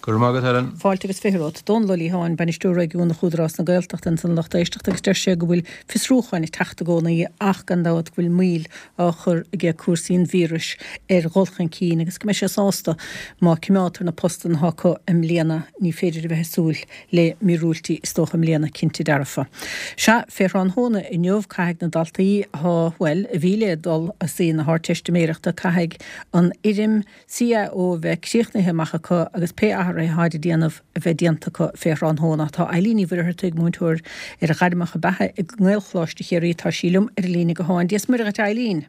Go raibh maith agat, Helen. Fáilte agus 20 romhat. Dónal Ó Liatháin, Bainisteoir Réigiúnach Údarás na Gaeltachta ansan a lucht éisteachta agus deir sé go bhfuil fiosrúcháin ag teacht i gcónaí ach gan dabht go bhfuil moill á chur aige cúrsaí an víris ar dhul chun cinn agus go mbeidh sé sásta má cimeádtar na postanna atá acu i mbliana. Ní féidir a bheith ag súil le míorúiltí is dócha i mbliana, cinnte dearfa. Sea, fé thráthnóna inniu caithfidh na daltaí atá, bhuel, a bhí le dul a suí na hArdteistiméireachta, caithfidh an fhoirm CAO a bheith críochnaithe amach acu agus pé athruithe atáid a déanamh a bheith déanta acu fé thráthnóna. Tá Eilín Ní Mhuircheartaigh, múinteoir ar ghairmeacha beatha i nGaelcholáiste Chiarraí, tá sí liom ar an líne gutháin. Dia is Muire dhuit a Eilín.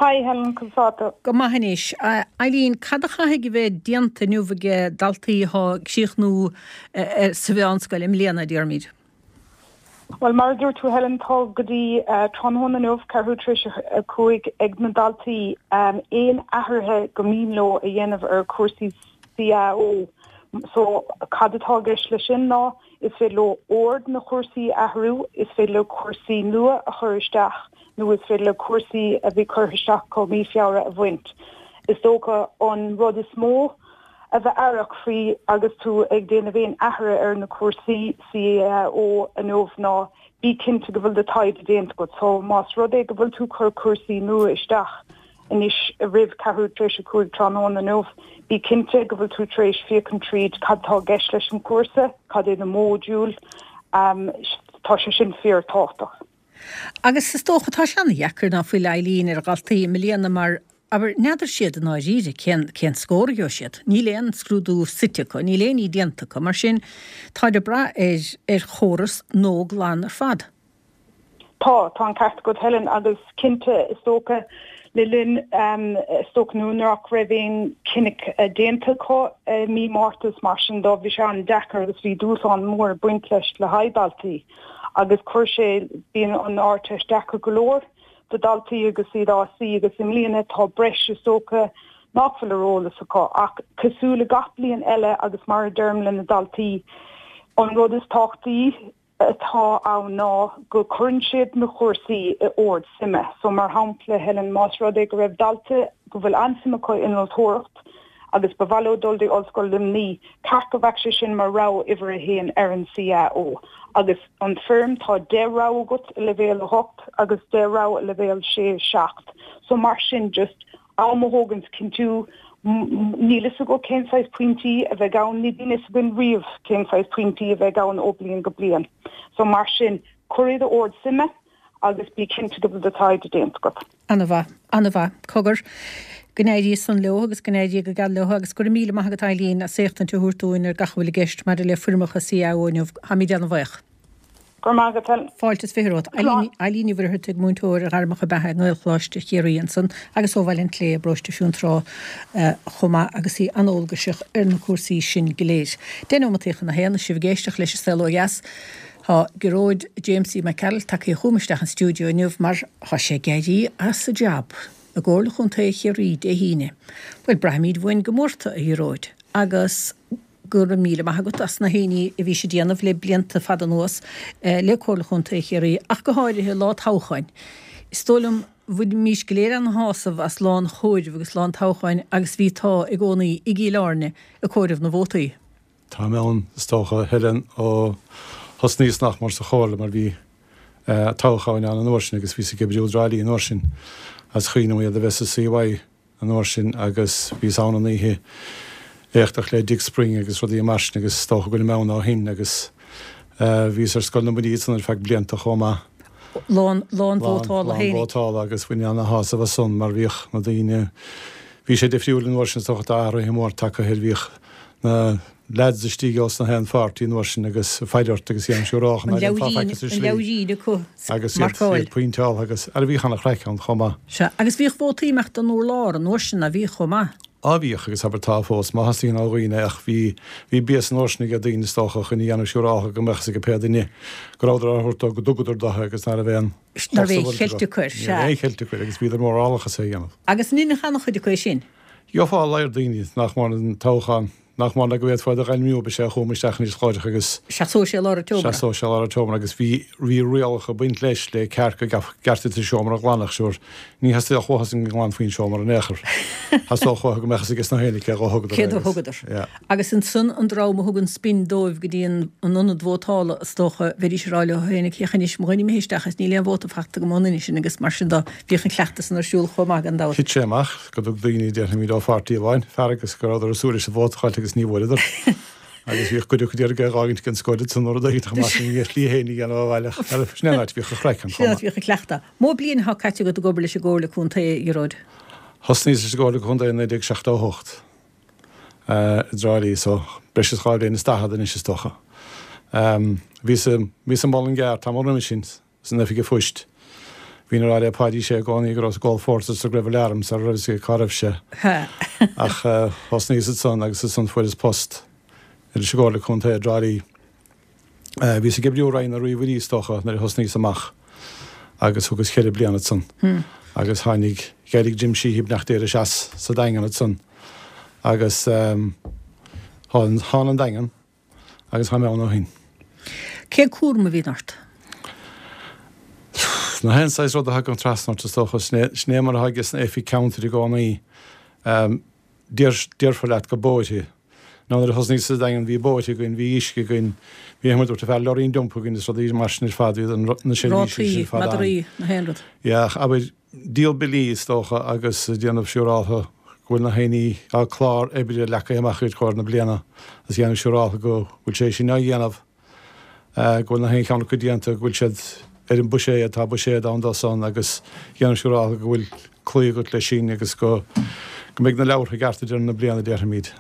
Hi Helen, conas tá tú? Go maith anois. A Eilín, cad a chaithfidh a bheith déanta inniu aige daltaí atá ag críochnú sa mheánscoil i mbliana, déarfaimid? Bhuel, mar a dúirt tú Helen, tá go dtí tráthnóna inniu, ceathrú tar éis a 5, ag na daltaí aon athruithe go mian leo a dhéanamh ar chúrsaí CAO. So, cad atá i gceist leis sin ná, is féidir leo ord na chúrsaí a athrú, is féidir leo cúrsaí nua a chur isteach nó is féidir leo cúrsaí a bhí curtha isteach acu mí Feabhra a bhaint. Is dócha an rud is mó a bheith aireach faoi agus tú ag déanamh aon athruithe ar na cúrsaí CAO inniu ná bí cinnte go bhfuil do taighde déanta agat. So más rud é go bhfuil tú ag cur cúrsaí nua isteach anois roimh ceathrú tar éis a 5 tráthnóna inniu, bí cinnte go bhfuil tú tar éis féachaint tríd cad tá i gceist leis an chúrsa, cad é na módúil, tá sé sin fíor tábhachtach. Agus is dócha, tá sé ana-dheacair ná fuil Eileen ar dhaltaí i mbliana mar, abair, n'fheadar siad i ndáiríre cén, cén scór a gheobhaidh siad. Níl aon scrúdú suite acu, níl aon ní déanta acu. Mar sin, táid ag brath ar, ar chóras nó glan ar fad. Tá, tá an ceart agat Helen agus cinnte is dócha le linn, is dócha nuair nach raibh aon chinneadh déanta acu i mí Márta is mar sin de, bhí sé an-deacair agus bhí dúshlán mór ag baint leis le haghaidh daltaí. agus chuir sé, bíonn an Ardteist deacair go leor do dhaltaí agus iad á suí agus i mbliana tá breis is dócha nach bhfuil ar eolas acu ach cosúil le gach bliain eile agus mar a deirim le na daltaí an rud is tábhachtaí atá ann ná go cuireann siad na cúrsaí i ord suime. So mar shampla Helen más rud é go raibh dalta go bhfuil an-suim acu in innealtóireacht agus ba mhaith leo dul dtí Ollscoil Luimní, ceart go bheadh sé sin mar rogha uimhir a haon ar an CAO. Agus an foirm, tá 10 rogha agat i leibhéal 8 agus 10 rogha i leibhéal 6, 7. So mar sin, just am a thógaint cinntiú, níl fhios agat cén saghas pointí a bheidh ann, ní bhíonn fhios againn riamh cén saghas pointí a bheidh ann ó bliain go bliain. So mar sin, cuir iad i ord suime agus bí cinnte go bhfuil do taighde déanta agat. Ana-mhaith. Ana-mhaith. Cogar, go n-éirí san leo agus go n-éirí go geal leo agus go raibh míle maith agat Eileen as éachtaint a thabhairt dúinn ar gach a bhfuil i gceist maidir le foirmeacha CAO inniu. Táimid ana-bhaoch. Go raibh maith agat Helen. Fáilte is 20 romhat. Eileen, Eileen Ní Mhuircheartaigh, múinteoir ar ghairmeacha beatha i nGaelcholáiste Chiarraí ansan agus ó Bhaile an tSléibhe i bparóiste Fionntrá chomh maith agus í an-eolgaiseach ar na cúrsaí sin go léir. 10 nóimeataí chun a haon, sibh ag éisteacht leis an Saol Ó Dheas. Tá Gearóid Jamesie Mac Gearailt tagtha chugam isteach an stiúideo inniu mar tá sé ag éirí as a jab i gComhairle Chontae Chiarraí Dé hAoine. Bhuel, braithimid uainn go mór tú, a Ghearóid, agus go raibh míle maith agat as na haon ní a bhís ag déanamh le blianta fada anuas le Comhairle Chontae Chiarraí, ach go háirithe lá toghcháin. Is dóigh liom, bhainimís go léir an-shásamh as lá an chomhairimh agus lá an toghcháin agus bhí tú i gcónaí i gCill Airne ag comhaireamh na vótaí. Táim ann, is dócha, a Helen, ó thosnaíos nach mór sa Chomhairle mar bhí toghcháin ann an uair sin agus bhíos ag oibriú i dTrá Lí an uair sin. Is cuimhin liom iad a bheith sa CY an uair sin agus bhíos ann an oíche éachtach le Dick Spring agus rudaí mar sin agus is dócha go bhfuilim ann ó shin agus bhíos ar Scoil na mBuillí ansan ar feadh blianta chomh maith. Lá an vótála féinig. Lá an vótála agus bhain ana-shásamh as san mar bhíodh na daoine, bhí sé difriúil an uair sin is dócha tá athruithe mór tagtha air, bhíodh na leaids istigh ós na haon pháirtí an uair sin agus ag faire ort agus dhéanamh siúrálach ná déanfá faic as an slí. An leabhairín acu agus iad iad pointeáltha agus ara bhíodh ana chraic ann chomh maith. Sea, agus bhíodh vótaí imeacht don urlár an uair sin ná bhíodh chomh maith? Á bhíodh agus abair tá fós má theastaíonn ó dhaoine ach bhí bhí béas an uair sin ag daoine is dócha chun a dhéanamh siúrálach go mbeadh fhios ag pé duine go rabhadar á thabhairt dó go dtugadar dó agus ná raibh aon Ná raibh aon cheilt acu air, Ní raibh aon cheilt acu air agus bhíodar mórálach as é a dhéanamh. Agus an ndeineadh an-chuid acu é sin? Gheofá a laghad daoine nach mór an toghchán. Nach mór le go bhféadfá iad a ghairmiú, ba sé a chuaigh isteach anois láithreach agus. Sheasódh sé i lár an tseomra. Sheasódh sé i lár an tseomra agus bhí, bhí rialacha ag baint leis le ceart go gceartaí an seomra a ghlanadh, sure, ní theastódh uathusan go nglanfaí an seomra in aon chor. Theastódh uathu go mbeadh fhios aige na héinne cé dhó thugadar é. Cé dó thugadar. Yeah. Agus ansan an dream a thug an spin dóibh go dtí an ionad vótála, is dócha, bheidís ag rá leo féin, féach anois, mo dhuine imithe isteach is níl aon vóta faighte agam ón nduine sin agus mar sin de, bhíodh an cleachtas san ar siúl chomh maith gan dabht. Thit sé amach. go dtug daoine, déarfaimid, ó pháirtí amháin, fearg agus go rabhadar ag súil leis an vóta a fháilt agus ní bhfuaireadar. Agus bhíodh cuid acu d'iarraidh é a dh'fhágaint gan scór ansan nó rud éigin chomh maith sin a shlí féin a dhéanamh abhaile ach sin é an áit a bhíodh an chraic ann chomh maith. Sin an áit a bhíodh an cleachtadh. Mó bliain atá caite agat ag obair leis an gComhairle Contae, a Ghearóid? Thosnaíos leis an gComhairle Contae i 1978 i dTrá Lí so breis is 2 bhliain is daichead anois is dócha. Bhíos i Mullingar tamall roimhe sin. San oifig an phoist. Bhínn ag rá le Páidí Sé i gcónaí go rabhas ag ól phórtair is go raibh alarm sara raibh fhios aige cá raibh sé. Ach thosnaíos ansan agus ansan fuaireas post leis an gComhairle Contae i dTrá Lí. Bhíos ag oibriú i Roinn na Ríomhairí is dócha nuair a thosnaíos amach agus thugas cheithre bliana ansan. Agus tháinig, dh'éirigh Jim Sheehy beannacht Dé leis as sa Daingean ansan agus thánn an Daingean. Agus tá mé ann ó shin. Cén cúram a bhíonn ort? Na haon saghas rud a thagann trasna ort is dócha. Sin é mar atá aige san oifig ceantair i gcónaí. Déarfar leat go bóithre. Nó nuair a thosnaíos sa Daingean bhí bóithre againn, bhí uisce againn, bhí mar dúirt an fear leoraí dumpa againn is rudaí mar sin ar fad, bhí na seirbhísí sin ar fad ann. Rátaí, madraí, na haon rud. Yeah, ach abair, díol billí is dócha agus déanamh siúráltha go bhfuil na haoinní, tá clár oibre leagtha amach i gcomhair na bliana agus déanamh siúráltha go bhfuil sé sin á dhéanamh, go bhfuil na haon cheann acu déanta, go bhfuil siad ar an buiséad, tá buiséad ann dó san agus déanamh siúráltha go bhfuil cloí agat leis sin agus go go mbeidh na leabhartha i gceart ag deireadh na bliana déarfaimid.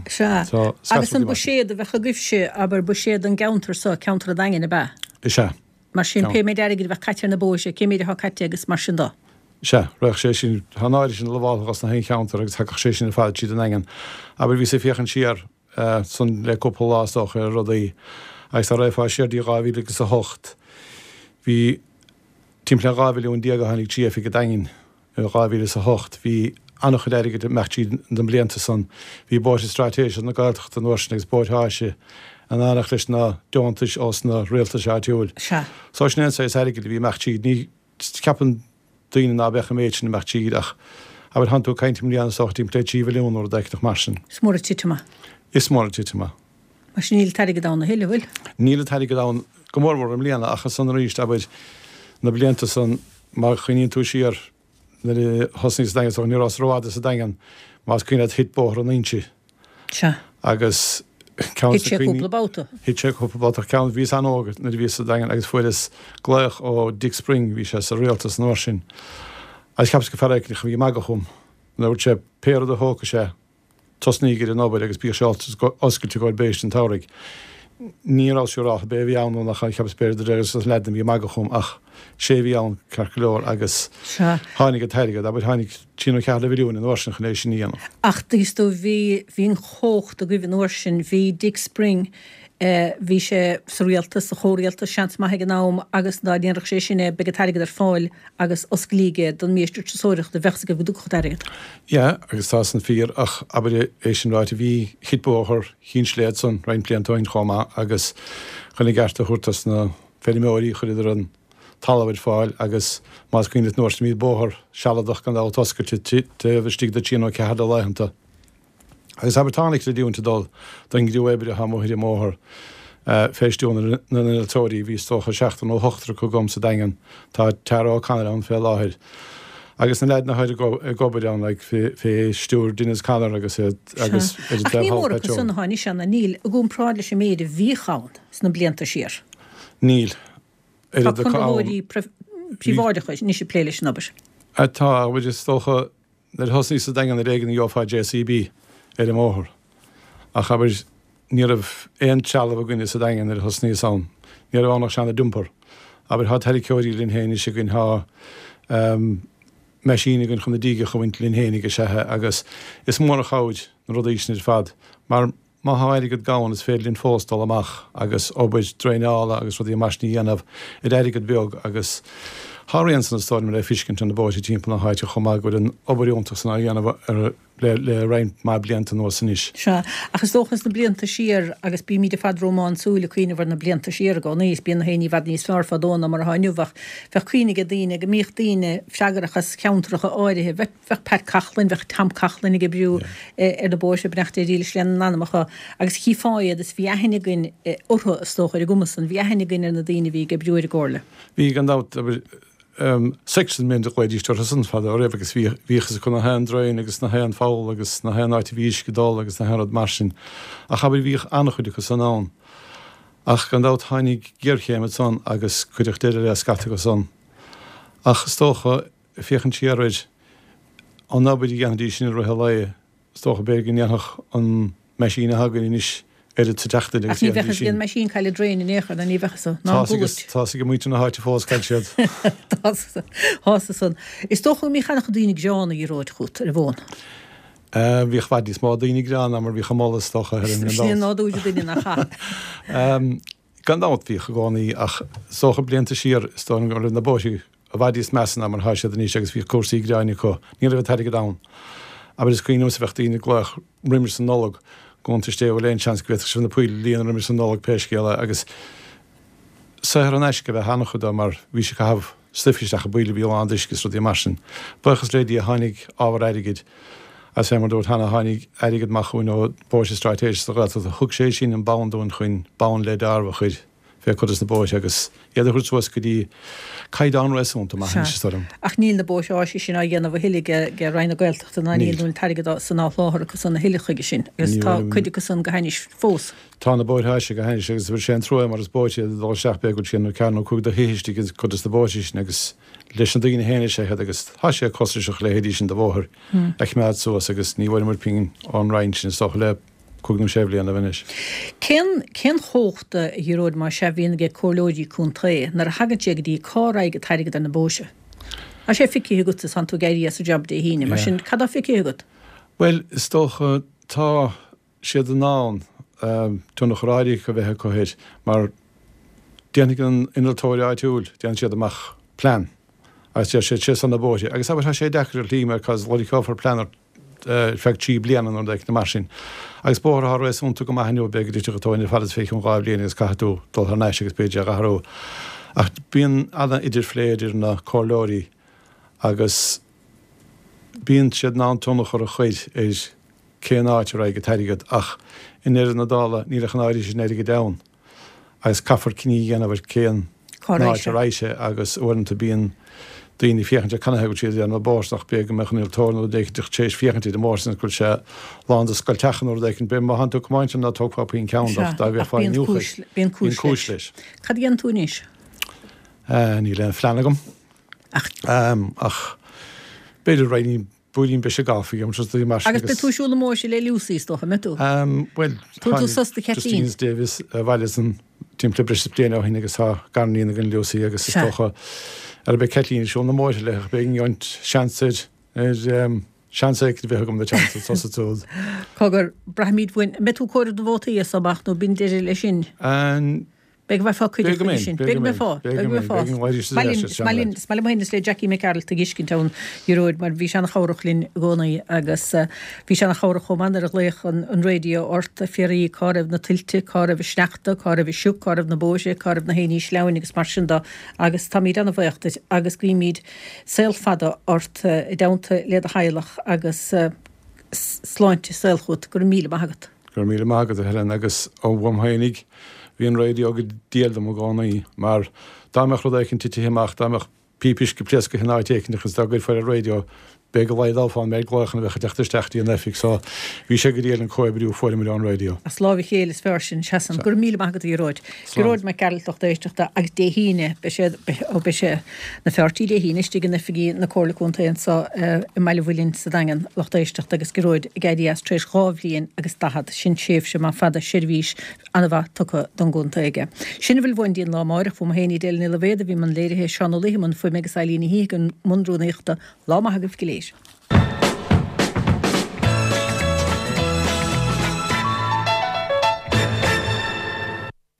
Sea. Agus an buiséad a bheadh agaibhse, abair buiséad an gceantar so, ceantar an Daingin, ab ea? Is ea. Mar sin, pé méid airgid a bheadh caite ar na bóithre, cé méid atá caite agus mar sin de. Sea, raghadh sé sin, tá an áirithe sin lamháltha dos na haon cheantar agus thagadh sé sin ar fad tríd an nDaingean. Abair, bhíos ag féachaint siar san le cúpla lá is dócha ar rudaí agus dá raghfá siar dtí 2000 agus a hocht, bhí timpeall ar 12 mhilliún a tháinig trí oifig an Daingin. I 2008 bhí an-chuid airgid ag imeacht tríd na blianta san. Bhí bóithre straitéiseacha na Gaeltachta an uair sin agus bóithre áise in éineacht leis na deontais ós na rialtais áitiúil. Sea. So sin é an saghas airgid a bhí ag imeacht tríd. Ní cheapann daoine ná beadh an méid sin ag imeacht tríd ach abair thánn tú ag caint i mbliana is dócha timpeall le 3 mhilliún nó rud éicint mar sin. Is mór an titim é. Is mór an titim é. Mar sin níl an t-airgead ann a thuilleadh, bhfuil? Níl an t-airgead ann go mórmhór i mbliana ach ansan arís, abair, na blianta san, má chuimhníonn tú siar nuair a thosnaíos sa Daingean, is dócha, ní rabhas rófhada sa Daingean, más cuimhin leat thit Bóthar an Inse. Sea. Agus ceann Thit sé cúpla babhta. Thit sé cúpla babhta ach ceann, bhíos an-óg nuair a bhíos sa Daingean agus fuaireas glaoch ó Dick Spring, bhí sé sa rialtas an uair sin, agus cheapas gur fear éicint a bhí ag magadh chugam nuair a dúirt sé pé rud a thógfaidh sé, Tosnaíg ar an obair agus bíodh sé oscailte i gcomhair béiste an tsamhraidh. Ní rabhas siúráltha ab é a bhí ann nó nach ea, cheapas b'fhéidir gur an leaid a bhí ag magadh chugam ach sé a bhí ann ceart go leor agus Sea. tháinig an t-airgead, abair, tháinig trí nó ceathair de mhilliúin an uair sin chun é sin a dhéanamh. Ach is dóigh bhí, bhí an chumhacht agaibh an uair sin, bhí Dick Spring, eh, bhí sé sa rialtas, sa chomhrialtas, seans maith ag an am agus dá ndéanfadh sé sin é beidh an t-airgead ar fáil agus osclaíodh é don mhiúistir turasóireachta, bheadh 's agaibh go dtiocfadh an t-airgead. Yeah, agus tá san fíor, ach abair é sin ráite, bhí, thit bóthar Chinn Sléibhe ansan roinnt blianta ó shin chomh maith agus chun a gceart a thabhairt dos na feirmeoirí chuireadar an talamh ar fáil agus más cuimhin leat an uair sin bhí bóthar sealadach gan dabht oscailte taobh istigh de trí nó ceathair de laethanta. Agus abair tá an-chreidiúint ag dul don gcriú oibre atá amuigh ar an mbóthar fé stiúir na n-innealtóirí, bhí is dócha seachtar nó ochtar acu agam sa Daingean, tá Tara O'Connor ann fé láthair, agus na leaideanna atá ag obair ann like fé stiúir Denis Connor agus iad agus Sea. Ach ní mór acu san atá anois ann, níl, i gcomparáid leis an méid a bhíodh ann sna blianta siar. Níl. Tá Oiread acu ann. conraitheoirí príobháideacha anois ag plé leis an obair. Tá, abair is dócha Nuair a thosnaíos sa Daingean ar éigean a gheofá JCB ar an mbóthar. Ach abair, ní raibh aon trealamh againne sa Daingean nuair a thosnaíos ann. Ní raibh ann ach seana dumper. Abair, thá tarraiceoirí linn féin anois againn, thá meaisín againn chun na dígeacha a bhaint linn féinig is ea agus is mór an chabhair na rudaí sin ar fad mar Má thá airgead gann is féidir linn fós dul amach agus obair draenála agus rudaí mar sin a dhéanamh ar airgead beag agus Tá a rian san is dóigh liom le feiscint ar na bóithre timpeall na háite chomh maith go bhfuil an obair fhiúntach san á dhéanamh ar le roinnt mhaith blianta anuas anois. Sea, ach is dócha sna blianta siar, agus bímid ar fad rómánsúil ag cuimhneamh ar na blianta siar i gcónaí, is bíonn na héinní i bhfad níos fearr fadó ná mar atá inniu, ach bheadh cuimhne ag daoine go mbíodh daoine freagrach as ceantracha áirithe, bheadh, bheadh Pat Coughlan, bheadh Tom Coughlan ag oibriú ar na bóithre, beannacht Dé dílis lena n-anamacha, agus chífeá iad is bhí aithne againn orthu, is dócha, ar an gcuma san, bhí aithne againn ar na daoine a bhí ag oibriú ar an gComhairle. Bhí, gan dabht. Section men a ghlaoidís orthu san fadó roimh agus bhíodh fhios acu na haon draein agus na haon pholl agus na haon áit a bhí uisce ag dul agus na haon rud mar sin. Ach abair bhíodh an-chuid acu san ann. Ach gan dabht tháinig géarchéim ansan agus cuireadh deireadh le scata acu san. Ach is dócha, féachaint siar ar an obair a dhéanfaidís sin i rith an lae, Is dócha, b'fhéidir go ndéanfadh an meaisín atá againn anois oiread sa tseachtain agus a dhéanfaidís sin. Ach ní bheadh fhios ag an meaisín cá bhfuil an draein in aon chor, ná ní bheadh fhios, ná an gcualait. Tá fhios ag muintir na háite fós cá bhfuil siad. Tá fhios san. Is dócha go mbíodh an-chuid daoine gránna a Ghearóid chugat ar an bhfón. Bhíodh i bhfad níos mó daoine gránna ná mar a bhíodh ag moladh is dócha, ar an Sin é nádúr an duine nach ea? Gan dabht, bhíodh i gcónaí, ach is dócha blianta siar, is dóigh liom go raibh na bóithre i bhfad níos measa ná mar atá siad anois agus bhíodh cúrsaí gráin acu. Ní raibh an t-airgead ann. Abair is cuimhin liomsa bheadh daoine ag glaoch roimis an Nollaig, gcuntais Dé bhfuil aon seans go bhféadfadh sibh na poill a líonadh roimis an Nollaig pé scéal é agus saothar in aisce a bheadh an-chuid dó mar bhí sé ag caitheamh stuif isteach i bpoill a bhí lán d'uisce is rudaí mar sin. Buíochas le Dia tháinig ábhar airgid agus fé mar dúrt cheana tháinig airgead amach chugainn ó Bóithre Straitéiseacha sa Ghaeltacht. Thug sé sin an bonn dúinn chun bonn le deáramh a chur fé cuid des na bóithre agus iad a thabhairt suas go dtí caighdeán réasúnta maith anois is dóigh liom. Ach níl na bóithre áise sin á dhéanamh a thuilleadh ag Roinn na Gaeltachta ná níl an t-airgead san á sholáthar acu san a thuilleadh chuige sin agus tá cuid acu san go hainnis fós. Tá na bóithre áise go hainnis agus bhí sé an trua mar is bóithre iad ag dul isteach b'fhéidir go bhfuil sé nó ceathair nó 5 de thithe istigh i gcuid des na bóithre sin agus leis na daoine féin is ea iad agus tá sé costasach a leithéidí sin de bhóthar a choimeád suas agus ní bhfuaireamar pingin ón Roinn sin is dócha le cúig nó sé bhliana anois. Cén cén chumhacht a Ghearóid más ea a bhíonn ag comhairleoirí contae nuair a thagann sé go dtí cá raghaidh an t-airgead ar na bóithre? Tá sé feicthe agat is tánn tú ag éirí as an job Dé hAoine, mar sin cad tá feicthe agat? Bhuel, is dócha tá siad in ann tionchar áirithe a bheith acu air mar déanfaidh an innealtóir áitiúil, déanfaidh siad amach plean agus deir siad sé seo na bóithre agus abair tá sé deacair ar shlí mar cos loirgeofar plean ar feadh 3 bliana nó rud éicint mar sin agus bóthar atá réasúnta go maith inniu b'fhéidir go dtitfeadh an tóin ar fad as fé cheann 2 bhliain agus caithfidh tú dul thar n-ais agus b'fhéidir é a athrú ach bíonn an-idirphlé idir na comhairleoirí agus bíonn siad in ann tionchar a chur ar cén áit a raghaidh an t-airgead ach i ndeireadh na dála níl ach an áirithe sin airgid ann agus caithfear cinneadh a dhéanamh ar cén áit a raghaidh sé agus uaireanta bíonn daoine ag féachaint ar canathaobh go bhfuil siad ag déanamh bóthar ach b'fhéidir go mbeadh an innealtóir nó rud éicint tar éis féachaint ar an mbóthar sin go bhfuil sé lán de scoilteacha nó rud éicint b'fhéidir má thánn tú ag tiomáint ann ná tógfá puinn ceann de ach dá bhféachfá iniúchadh bíonn cúis leis. Cad a dhéanann tú anois? Níl aon phlean agam ach b'fhéidir roinnt Buailín breise gailf a dhéanamh is mar sin agus. Agus beidh tú ag siúl na mbóithre le Lucy, is dócha, an mbeidh tú? Bhuel, Tabharfaidh tú sos do Chaitlín. Justine Davis abhaile ansan timpeall le breis is bliain ó shin agus tá gariníon againn Lucy agus is dócha ara beidh Caitlín ag siúl na mbóithre léi ach beidh an seans ar ar seans éicint a bheith agam na teannta tusa tú. Cogar, braithimid uainn, an mbeidh tú ag comhaireamh na vótaí as seo amach nó b'in deireadh leis sin? An Beidh go mbeifeá cuideachta aige sin. Beidh go mbeifeá. Beidh go mbeifeá. Is maith linn, is maith liom féin is le Jackie Mac Gearailt a dh'fheiscint ann, Gearóid, mar bhí sé ana-chabhrach linn i gcónaí agus bhí sé ana-chabhrach chomh maith nuair a ghlaoch an raidió ort ag fiafraí cá raibh na tuilte, cá raibh an sneachta, cá raibh an sioc, cá raibh na bóithre, cá raibh na héinní sleamhain agus mar sin de agus táimid ana-bhaoch duit agus guímid saol fada ort i dteannta le do theaghlach agus sláinte saoil chugat. Go raibh míle maith agat. Go raibh míle maith agat, a Helen, agus ó uaim fhéinig, bhí an raidió go diail dom i gcónaí, mar dá mbeadh rud éicint titithe amach, dá mbeadh píopa uisce pléascaithe in áit éicint agus dá gcuirfeá ar an raidió, b'fhéidir go laghdófá an méid glaochanna a bheadh ag teacht isteach dtí an oifig, so bhí sé go diail an comhoibriú a fuaireamar ón raidió. As láimh a chéile is fearr sin, seasann. Go raibh míle maith agat, a Ghearóid. Gearóid Mac Gearailt, lucht éisteachta, agus Dé hAoine, beidh sé, ó beidh sé, na fear tí Dé hAoine istigh in oifigí na Comhairle Contae anseo i mBaile Mhuilinn sa Daingean, lucht éisteachta, agus Gearóid ag éirí as tar éis 2 bhliain agus 40, sin tréimhse maith fada, seirbhís an-mhaith tugtha don gcontae aige. Sin a bhfuil uainn go dtí an lá amáireach, uaim féin Edel Ní Loibhéad a bhí i mbun léirithe, Seán Ó Laoithe i mbun fuaime agus Eileen Ní Shíthigh i mbun rúnaíochta. Lá maith agaibh go léir.